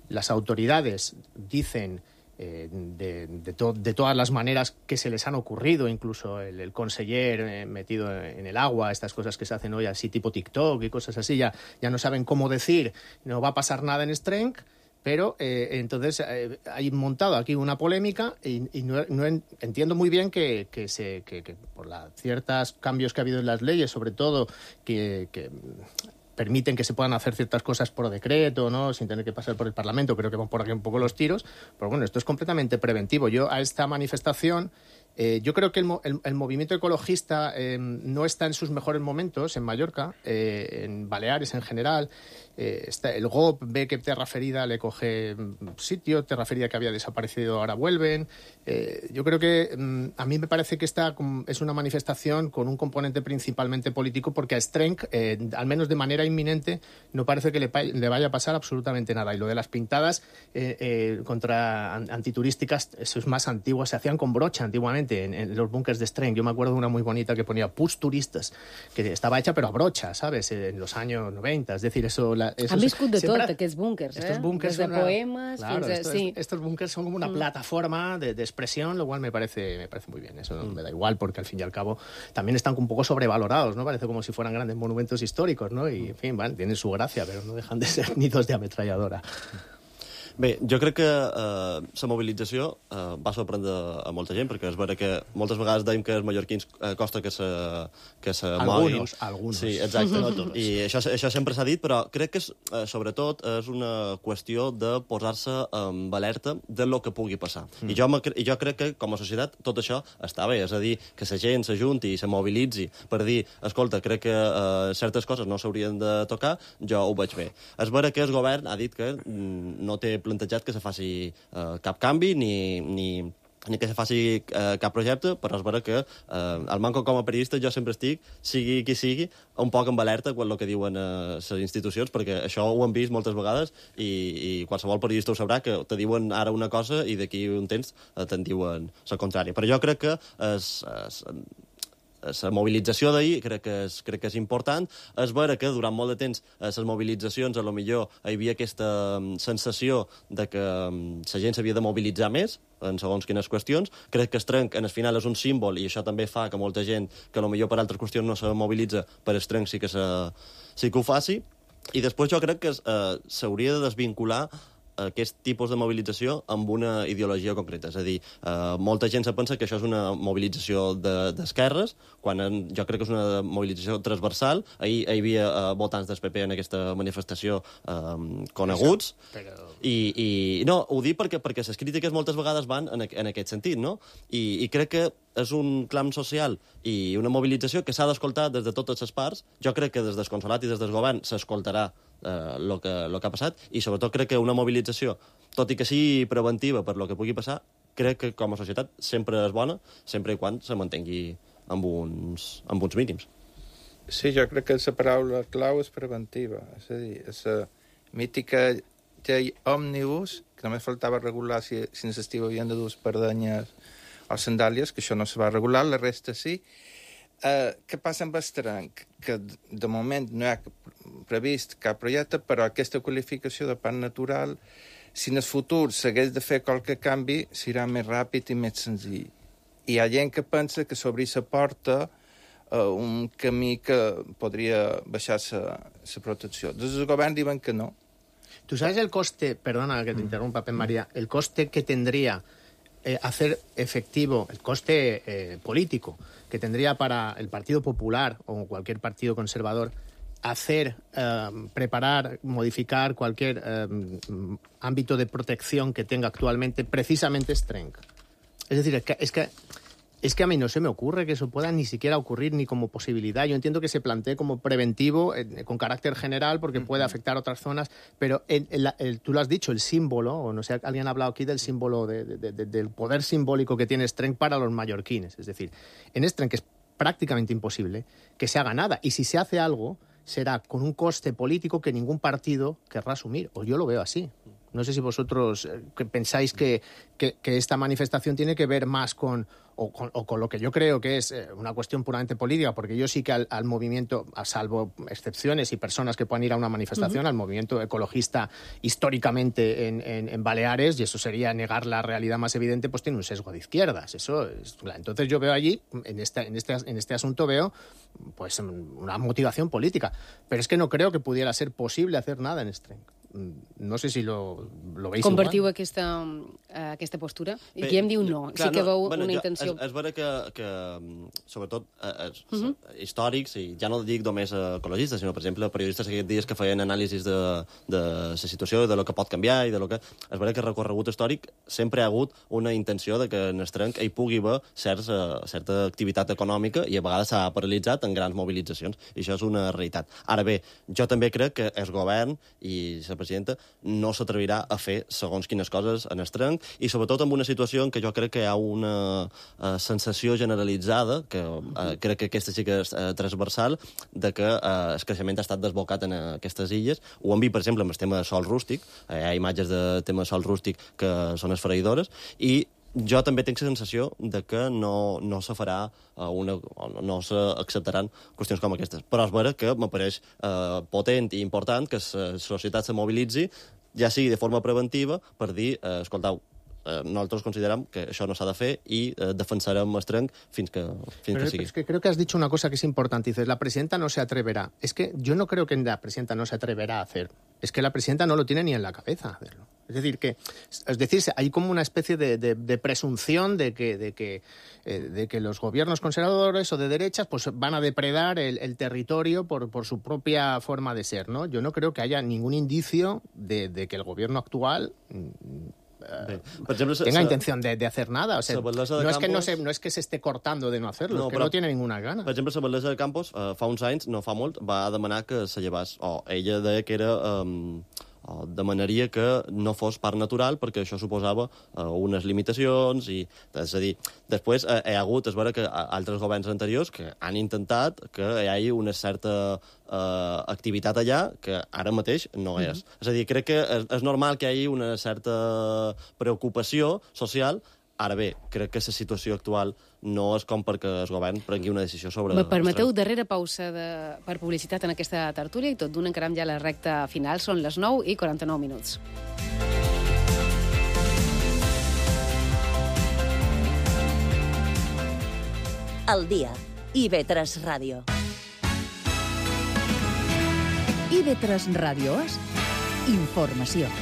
Las autoridades dicen eh, de, de, to, de todas las maneras que se les han ocurrido, incluso el, el conseller eh, metido en el agua, estas cosas que se hacen hoy así tipo TikTok y cosas así, ya, ya no saben cómo decir, no va a pasar nada en Estrenc, pero eh, entonces eh, hay montado aquí una polémica y, y no, no en, entiendo muy bien que, que, se, que, que por los ciertos cambios que ha habido en las leyes, sobre todo que... que permiten que se puedan hacer ciertas cosas por decreto, ¿no? Sin tener que pasar por el Parlamento, creo que van por aquí un poco los tiros, pero bueno, esto es completamente preventivo. Yo a esta manifestación, eh, yo creo que el, el, el movimiento ecologista eh, no está en sus mejores momentos en Mallorca, eh, en Baleares en general. Eh, está, el G O P ve que Terra Ferida le coge sitio, Terra Ferida que había desaparecido ahora vuelven. Eh, yo creo que mm, a mí me parece que esta es una manifestación con un componente principalmente político, porque a Estrenc, eh, al menos de manera inminente, no parece que le, le vaya a pasar absolutamente nada. Y lo de las pintadas eh, eh, contra antiturísticas, eso es más antiguo, se hacían con brocha antiguamente en, en los búnkers de Estrenc. Yo me acuerdo de una muy bonita que ponía Puig Turistes, que estaba hecha pero a brocha, ¿sabes? En los años noventa, es decir, eso... La, eso Han viscut de siempre, tot, aquests búnkers, eh? Estos búnkers Des de una, poemes claro, fins a... Estos, sí. estos búnkers son como una mm. plataforma de, de expresión, lo cual me parece, me parece muy bien. Eso mm. me da igual, porque al fin y al cabo también están un poco sobrevalorados, ¿no? Parece como si fueran grandes monumentos históricos, ¿no? Y, en fin, van, tienen su gracia, pero no dejan de ser nidos de ametralladora. Bé, jo crec que eh, la mobilització eh, va sorprendre a molta gent, perquè és vera que moltes vegades dèiem que els mallorquins eh, costa que se, que se moguin. Algunos, algunos. Sí, exacte. No tots. I això, això sempre s'ha dit, però crec que és, eh, sobretot és una qüestió de posar-se en alerta de lo que pugui passar. Mm. I, jo, I jo crec que, com a societat, tot això està bé. És a dir, que la gent s'ajunti i se mobilitzi per dir, escolta, crec que eh, certes coses no s'haurien de tocar, jo ho veig bé. És vera que el govern ha dit que mm, no té plantejat que se faci eh, cap canvi ni, ni, ni que se faci eh, cap projecte, però és vera que eh, el manco com a periodista jo sempre estic, sigui qui sigui, un poc amb alerta quan el que diuen les eh, institucions, perquè això ho hem vist moltes vegades i, i qualsevol periodista ho sabrà, que te diuen ara una cosa i d'aquí un temps eh, te'n diuen la contrària. Però jo crec que és, és, la mobilització d'ahir crec que és, crec que és important. És vera que durant molt de temps les mobilitzacions a lo millor hi havia aquesta sensació de que la gent s'havia de mobilitzar més en segons quines qüestions. Crec que el trenc en el final és un símbol i això també fa que molta gent que a lo millor per altres qüestions no se mobilitza, per el trenc sí que, se, sí que ho faci. I després jo crec que eh, s'hauria de desvincular aquest tipus de mobilització amb una ideologia concreta. És a dir, eh, molta gent se pensa que això és una mobilització d'esquerres, de, quan en, jo crec que és una mobilització transversal. Ahir hi havia eh, votants del P P en aquesta manifestació eh, coneguts. Però... I, i no, ho dic perquè, perquè les crítiques moltes vegades van en, en aquest sentit, no? I, I crec que és un clam social i una mobilització que s'ha d'escoltar des de totes les parts. Jo crec que des del consolat i des del govern s'escoltarà el eh, que, lo que ha passat, i sobretot crec que una mobilització, tot i que sigui preventiva per lo que pugui passar, crec que com a societat sempre és bona, sempre i quan se mantengui amb uns, amb uns mínims. Sí, jo crec que la paraula clau és preventiva. És a dir, és la mítica llei òmnibus, que només faltava regular si, si necessitiu havien de dur espardenyes o sandàlies, que això no se va regular, la resta sí. Uh, què passa amb el trenc? Que de moment no hi ha previst cap projecte, però aquesta qualificació de parc natural, si en el futur s'hagués de fer qualque canvi, serà més ràpid i més senzill. I hi ha gent que pensa que s'obri la porta uh, un camí que podria baixar la protecció. Des del govern diuen que no. ¿Tú sabes el coste, perdona que te interrumpa, Pep María, el coste que tendría eh, hacer efectivo, el coste eh, político que tendría para el Partido Popular o cualquier partido conservador hacer, eh, preparar, modificar cualquier eh, ámbito de protección que tenga actualmente, precisamente es Trenc? Es decir, es que, es que Es que a mí no se me ocurre que eso pueda ni siquiera ocurrir ni como posibilidad. Yo entiendo que se plantee como preventivo, eh, con carácter general, porque puede afectar a otras zonas, pero el, el, el, tú lo has dicho, el símbolo, o no sé, alguien ha hablado aquí del símbolo, de, de, de, del poder simbólico que tiene Estrenc para los mallorquines. Es decir, en Estrenc es prácticamente imposible que se haga nada. Y si se hace algo, será con un coste político que ningún partido querrá asumir. O yo lo veo así. No sé si vosotros eh, que pensáis que, que, que esta manifestación tiene que ver más con o, con, o con lo que yo creo que es eh, una cuestión puramente política, porque yo sí que al, al movimiento, a salvo excepciones y personas que puedan ir a una manifestación, uh-huh. al movimiento ecologista históricamente en, en, en Baleares, y eso sería negar la realidad más evidente, pues tiene un sesgo de izquierdas. Eso es, entonces yo veo allí, en este, en, este, en este asunto veo pues una motivación política. Pero es que no creo que pudiera ser posible hacer nada en Estrenc. No sé si lo, lo veis Compartiu igual. aquesta, aquesta postura? I Guillem diu no. Clar, sí que veu no, bueno, una jo, intenció... És, és vera que, que sobretot, eh, uh -huh. històrics, i ja no dic només ecologistes, sinó, per exemple, periodistes aquests dies que feien anàlisis de, de la situació, de lo que pot canviar, i de lo que... És vera que el recorregut històric sempre ha hagut una intenció de que en Estrenc hi pugui haver certs, uh, certa activitat econòmica, i a vegades s'ha paralitzat en grans mobilitzacions, i això és una realitat. Ara bé, jo també crec que el govern i la presidenta no s'atrevirà a fer segons quines coses en Estrenc, i sobretot en una situació en què jo crec que hi ha una uh, sensació generalitzada, que uh, crec que aquesta sí que és uh, transversal, de que uh, el creixement ha estat desbocat en uh, aquestes illes. Ho hem vist, per exemple, amb el tema de sol rústic, uh, hi ha imatges de tema de sol rústic que són esfereïdores, i jo també tinc la sensació de que no, no se farà uh, una, no, no s'acceptaran qüestions com aquestes. Però és vera que m'apareix uh, potent i important que la societat se mobilitzi, ja sigui de forma preventiva, per dir, uh, escoltau, uh, nosaltres considerem que això no s'ha de fer i uh, defensarem Estrenc fins que, fins pero, que sigui. Pero es que creo que has dicho una cosa que es importante. Dices, la presidenta no se atreverá. Es que yo no creo que la presidenta no se atreverá a hacer. Es que la presidenta no lo tiene ni en la cabeza hacerlo. Es decir, que es decir, hay como una especie de, de, de presunción de que, de, que, eh, de que los gobiernos conservadores o de derechas pues van a depredar el, el territorio por, por su propia forma de ser, ¿no? Yo no creo que haya ningún indicio de, de que el gobierno actual... Bé, per exemple, tenga sa, intención de, de hacer nada. O sea, no, Campos, es que no, se, no es que se esté cortando de no hacerlo, no, es que però, no tiene ninguna gana. Per exemple, la batllessa de Campos, uh, fa uns anys, no fa molt, va demanar que se llevés, o ella deia que era... Um, o demanaria que no fos parc natural perquè això suposava uh, unes limitacions i, és a dir, després uh, hi ha hagut, és vera que altres governs anteriors que han intentat que hi hagi una certa uh, activitat allà que ara mateix no és. Mm-hmm. És a dir, crec que és, és normal que hi hagi una certa preocupació social Ara bé, crec que la situació actual no és com perquè el govern prengui una decisió sobre... Me permeteu darrera pausa de, per publicitat en aquesta tertúlia i tot d'una encarem ja la recta final. Són les nou i quaranta-nou minuts. El dia. I ve tres Ràdio. I ve tres Ràdio és informació.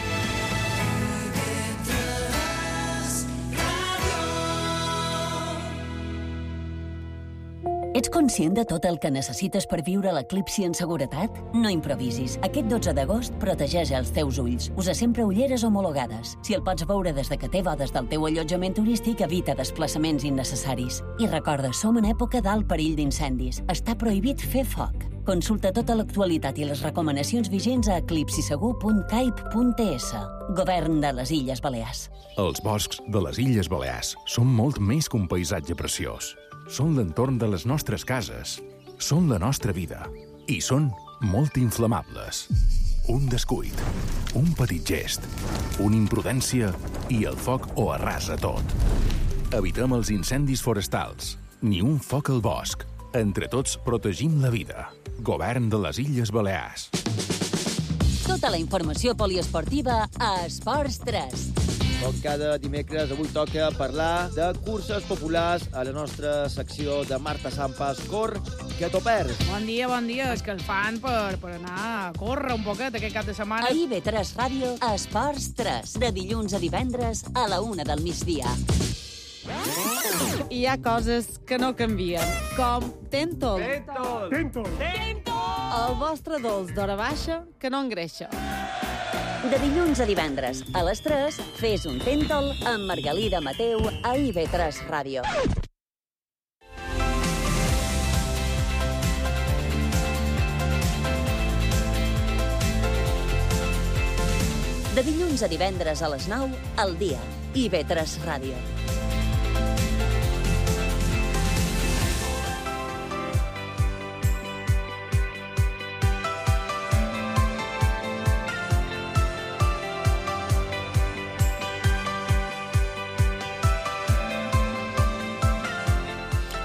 Ets conscient de tot el que necessites per viure l'eclipsi en seguretat? No improvisis. Aquest dotze d'agost protegeix els teus ulls. Usa sempre ulleres homologades. Si el pots veure des de que té bodes del teu allotjament turístic, evita desplaçaments innecessaris. I recorda, som en època d'alt perill d'incendis. Està prohibit fer foc. Consulta tota l'actualitat i les recomanacions vigents a eclipsisegur punt caip punt es. Govern de les Illes Balears. Els boscs de les Illes Balears són molt més que un paisatge preciós. Són l'entorn de les nostres cases, són la nostra vida i són molt inflamables. Un descuit, un petit gest, una imprudència i el foc ho arrasa tot. Evitem els incendis forestals, ni un foc al bosc. Entre tots protegim la vida. Govern de les Illes Balears. Tota la informació poliesportiva a Esports tres. Com cada dimecres, avui toca parlar de curses populars a la nostra secció de Marta Sampas. Cor, que t'ho perds. Bon dia, bon dia. És que el fan per, per anar a córrer un poquet aquest cap de setmana. A I V tres Ràdio, a Esports tres, de dilluns a divendres a la una del migdia. Hi ha coses que no canvien, com Tentol. Tentol. Tentol. Tentol. El vostre dolç d'hora baixa que no engreixa. De dilluns a divendres, a les tres, fes un Tentol amb Margalida Mateu a I V tres Ràdio. De dilluns a divendres a les nou, al dia, I V tres Ràdio.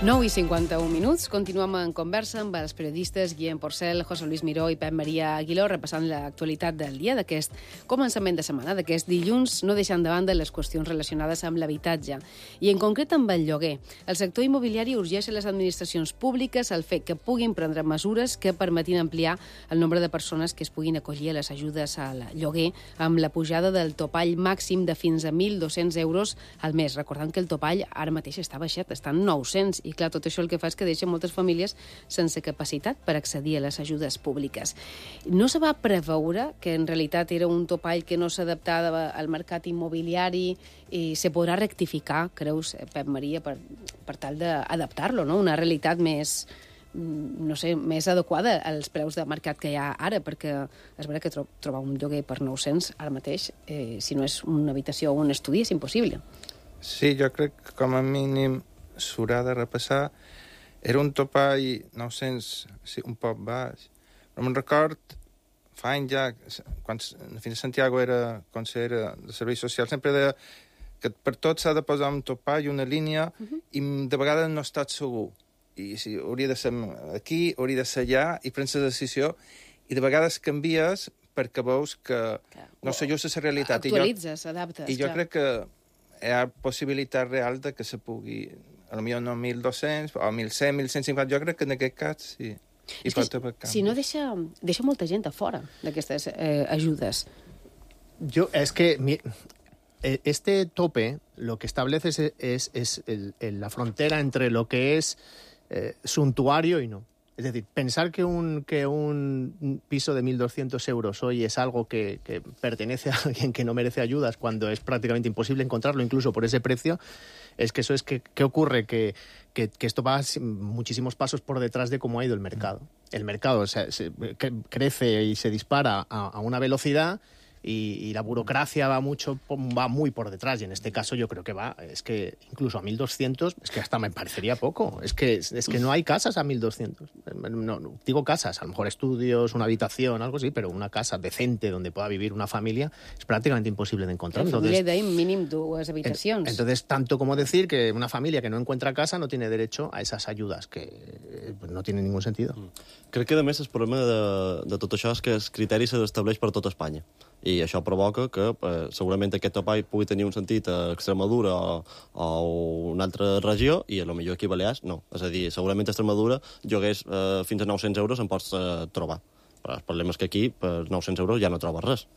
nou i cinquanta-un minuts. Continuem en conversa amb els periodistes Guillem Porcel, José Luis Miró i Pep Maria Aguiló, repassant l'actualitat del dia d'aquest començament de setmana, d'aquest dilluns, no deixant de banda les qüestions relacionades amb l'habitatge. I en concret amb el lloguer. El sector immobiliari urgeix a les administracions públiques el fet que puguin prendre mesures que permetin ampliar el nombre de persones que es puguin acollir a les ajudes al lloguer amb la pujada del topall màxim de fins a mil dos-cents euros al mes. Recordant que el topall ara mateix està baixat, està en nou-cents, i clar, tot això el que fa és que deixa moltes famílies sense capacitat per accedir a les ajudes públiques. No se va preveure que en realitat era un topall que no s'adaptava al mercat immobiliari i se podrà rectificar, creus, Pep Maria, per, per tal d'adaptar-lo, no? Una realitat més, no sé, més adequada als preus de mercat que hi ha ara, perquè és vera que tro trobar un lloguer per nou-cents ara mateix, eh, si no és una habitació o un estudi, és impossible. Sí, jo crec que com a mínim s'haurà de repassar. Era un topall nou-cents, sí, un poc baix. Però me'n record, fa anys ja, quan fins a Santiago era consellera de Serveis Socials, sempre deia que per tot s'ha de posar un topall, una línia, uh -huh. i de vegades no he estat segur. I si hauria de ser aquí, hauria de ser allà, i prens la decisió, i de vegades canvies perquè veus que clar, no s'ajusta a la realitat. Actualitzes, adaptes. I jo clar. crec que hi ha possibilitat real de que se pugui, a lo millor no mil dos-cents, o mil cent, mil cent cinquanta, jo crec que en aquest cas sí. I és que, si no, deixa, deixa molta gent a fora d'aquestes eh, ajudes. Yo, es que mi, este tope lo que establece es, es, es el, el, la frontera entre lo que es eh, suntuario y no. Es decir, pensar que un, que un piso de mil doscientos euros hoy es algo que, que pertenece a alguien que no merece ayudas cuando es prácticamente imposible encontrarlo incluso por ese precio, es que eso es que, ¿qué ocurre? Que, que, que esto va muchísimos pasos por detrás de cómo ha ido el mercado. El mercado o sea, se, crece y se dispara a, a una velocidad y, y la burocracia va mucho va muy por detrás, y en este caso yo creo que va, es que incluso a mil doscientos, es que hasta me parecería poco, es que, es que no hay casas a mil doscientos, no, no, digo casas, a lo mejor estudios, una habitación, algo así, pero una casa decente donde pueda vivir una familia es prácticamente imposible de encontrar. La Entonces, família d'ahir, mínim dues habitacions. Entonces, tanto como decir que una familia que no encuentra casa no tiene derecho a esas ayudas, que eh, pues no tiene ningún sentido. Crec que, a més, el problema de, de tot això és que el criteri s'estableix per tota Espanya. I això provoca que eh, segurament aquest topall pugui tenir un sentit a Extremadura o, o una altra regió, i a lo millor aquí a Balears no. És a dir, segurament a Extremadura lloguers eh, fins a nou-cents euros en pots eh, trobar. Però el problema és que aquí, per nou-cents euros, ja no trobes res.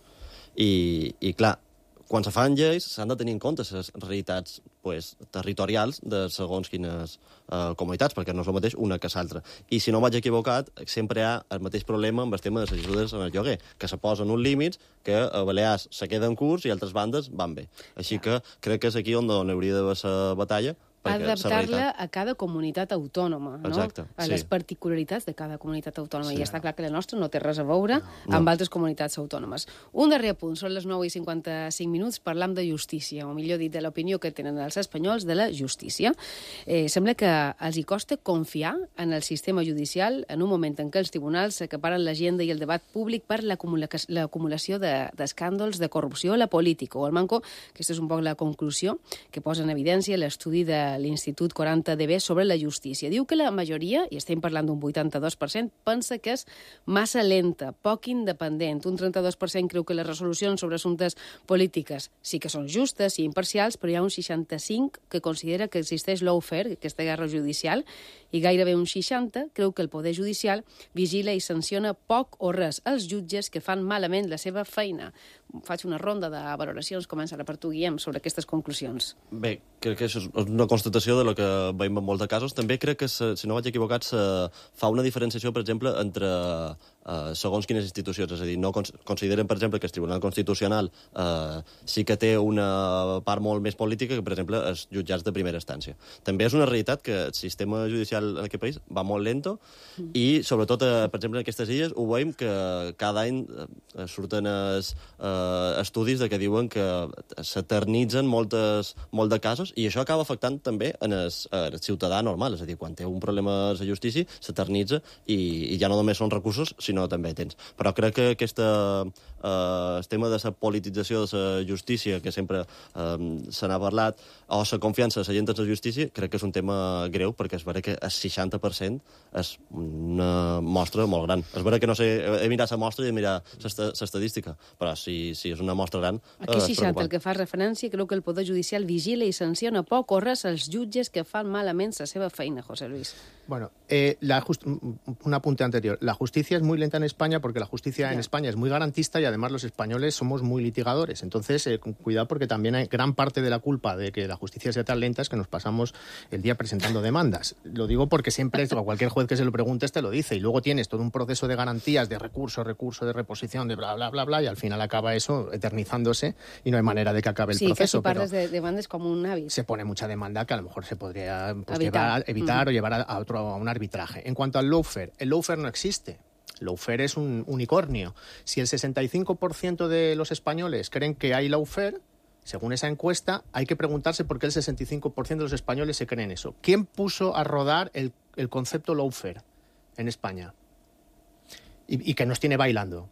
I, i clar, quan se fan lleis s'han de tenir en compte les realitats pues, territorials de segons quines eh, comunitats, perquè no és el mateix una que l'altra. I si no vaig equivocat, sempre hi ha el mateix problema amb el tema de les ajudes en el lloguer, que se posen uns límits que a Balears se queda en curs i altres bandes van bé. Així que crec que és aquí on, on hauria d'haver la batalla, adaptar-la a cada comunitat autònoma, no? Exacte, a sí. les particularitats de cada comunitat autònoma. Sí. I està clar que la nostra no té res a veure no. amb No. altres comunitats autònomes. Un darrer punt, són les nou i cinquanta-cinc minuts, parlam de justícia, o millor dit, de l'opinió que tenen els espanyols de la justícia. Eh, sembla que els hi costa confiar en el sistema judicial en un moment en què els tribunals s'acaparen l'agenda i el debat públic per l'acumulació d'escàndols de corrupció a la política, o al manco, aquesta és un poc la conclusió que posa en evidència l'estudi de l'Institut quaranta D B sobre la justícia. Diu que la majoria, i estem parlant d'un vuitanta-dos per cent, pensa que és massa lenta, poc independent. Un trenta-dos per cent creu que les resolucions sobre assumptes polítiques sí que són justes i imparcials, però hi ha un seixanta-cinc que considera que existeix lawfare, aquesta guerra judicial, i gairebé un seixanta creu que el Poder Judicial vigila i sanciona poc o res els jutges que fan malament la seva feina. Faig una ronda de valoracions, comença per tu, Guillem, sobre aquestes conclusions. Bé, crec que això és una constatació de lo que veiem en molts de casos. També crec que, se, si no vaig equivocat, se fa una diferenciació, per exemple, entre eh, segons quines institucions. És a dir, no cons consideren, per exemple, que el Tribunal Constitucional eh, sí que té una part molt més política que, per exemple, els jutjats de primera instància. També és una realitat que el sistema judicial en aquest país va molt lento mm. i, sobretot, eh, per exemple, en aquestes illes ho veiem que cada any eh, surten els eh, estudis de que diuen que s'eternitzen moltes, molt de casos, i això acaba afectant també en el, el ciutadà normal. És a dir, quan té un problema a la justícia, s'eternitza i, i ja no només són recursos, sinó també temps. Però crec que aquesta, eh, el tema de la politització de la justícia, que sempre eh, se n'ha parlat, o la confiança de la gent en la justícia, crec que és un tema greu, perquè és vera que el seixanta per cent és una mostra molt gran. És vera que no sé, he mirat la mostra i he mirat l'estadística, però si, si és una mostra gran, Aquí eh, seixanta, el que fa referència, creu que el Poder Judicial vigila i sanciona poc o res els jutges que fan malament la seva feina, José Luis. Bueno, eh, la un apunte anterior. La justicia es muy lenta en España porque la justicia yeah. en España es muy garantista y además los españoles somos muy litigadores. Entonces, eh, cuidado, porque también hay gran parte de la culpa de que la justicia sea tan lenta es que nos pasamos el día presentando demandas. Lo digo porque siempre, a cualquier juez que se lo preguntes te lo dice, y luego tienes todo un proceso de garantías, de recurso, recurso, de reposición, de bla, bla, bla, bla, y al final acaba eso eternizándose y no hay manera de que acabe el sí, proceso. Sí, que si parles de demandes com un hábit. Se pone mucha demanda que a lo mejor se podría pues, llevar, evitar mm. o llevar a, a otro a un arbitraje. En cuanto al lawfare, el lawfare no existe. Lawfare es un unicornio. Si el sesenta y cinco por ciento de los españoles creen que hay lawfare, según esa encuesta, hay que preguntarse por qué el sesenta y cinco por ciento de los españoles se creen eso. ¿Quién puso a rodar el, el concepto lawfare en España? Y, y que nos tiene bailando.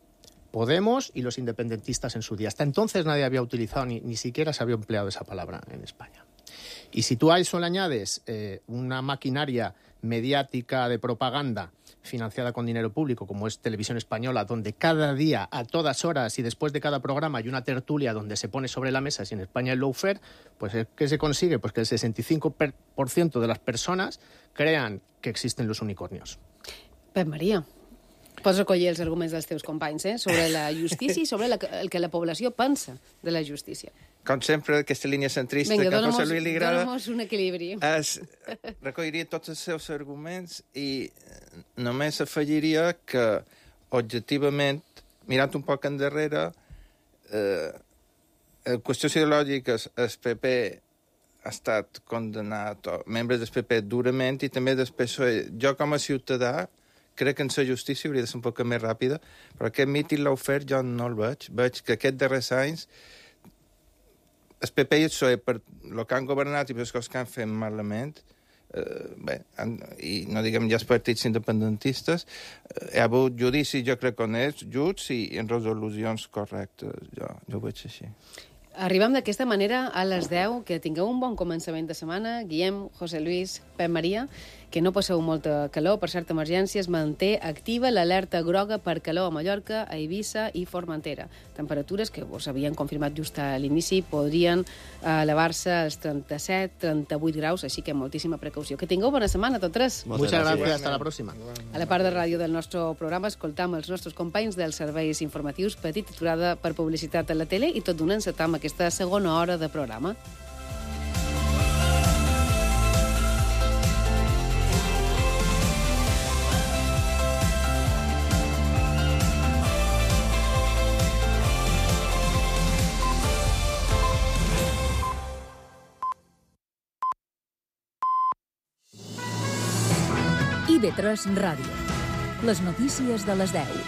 Podemos y los independentistas en su día. Hasta entonces nadie había utilizado, ni, ni siquiera se había empleado esa palabra en España. Y si tú a eso le añades eh, una maquinaria mediática de propaganda financiada con dinero público, como es Televisión Española, donde cada día, a todas horas y después de cada programa hay una tertulia donde se pone sobre la mesa si en España hay lawfare, pues ¿qué se consigue? Pues que el sesenta y cinco por ciento de las personas crean que existen los unicornios. Pep Maria, pots recollir els arguments dels teus companys eh? sobre la justícia i sobre la, el que la població pensa de la justícia. Com sempre, aquesta línia centrista Venga, que a José Luis li agrada... Dóna-mos un equilibri. Es, recolliria tots els seus arguments i només afegiria que, objectivament, mirant un poc endarrere, eh, en qüestions ideològiques, el P P ha estat condemnat, o membres del P P durament, i també del P S O E. Jo, com a ciutadà, crec que en la justícia hauria de ser un poc més ràpida, però aquest míting l'ha ofert jo no el veig. Veig que aquests darrers anys el P P i el P S O E, per el que han governat i per les coses que han fet malament, eh, bé, han, i no diguem ja els partits independentistes, eh, hi ha hagut judicis, jo crec, honets, justs i, i en resolucions correctes. Jo, jo ho veig així. Arribem d'aquesta manera a les deu. Que tingueu un bon començament de setmana. Guillem, José Luis, Pep Maria, que no passeu molta calor. Per certa emergència es manté activa l'alerta groga per calor a Mallorca, a Eivissa i Formentera. Temperatures que us havien confirmat just a l'inici podrien elevar-se als trenta-set trenta-vuit graus, així que moltíssima precaució. Que tingueu bona setmana, tots tres. Muchas gracias, hasta la próxima. A la part de ràdio del nostre programa escoltam els nostres companys dels serveis informatius, petita aturada per publicitat a la tele i tot d'una encetam aquesta segona hora de programa. I V tres Ràdio. Les notícies de les deu.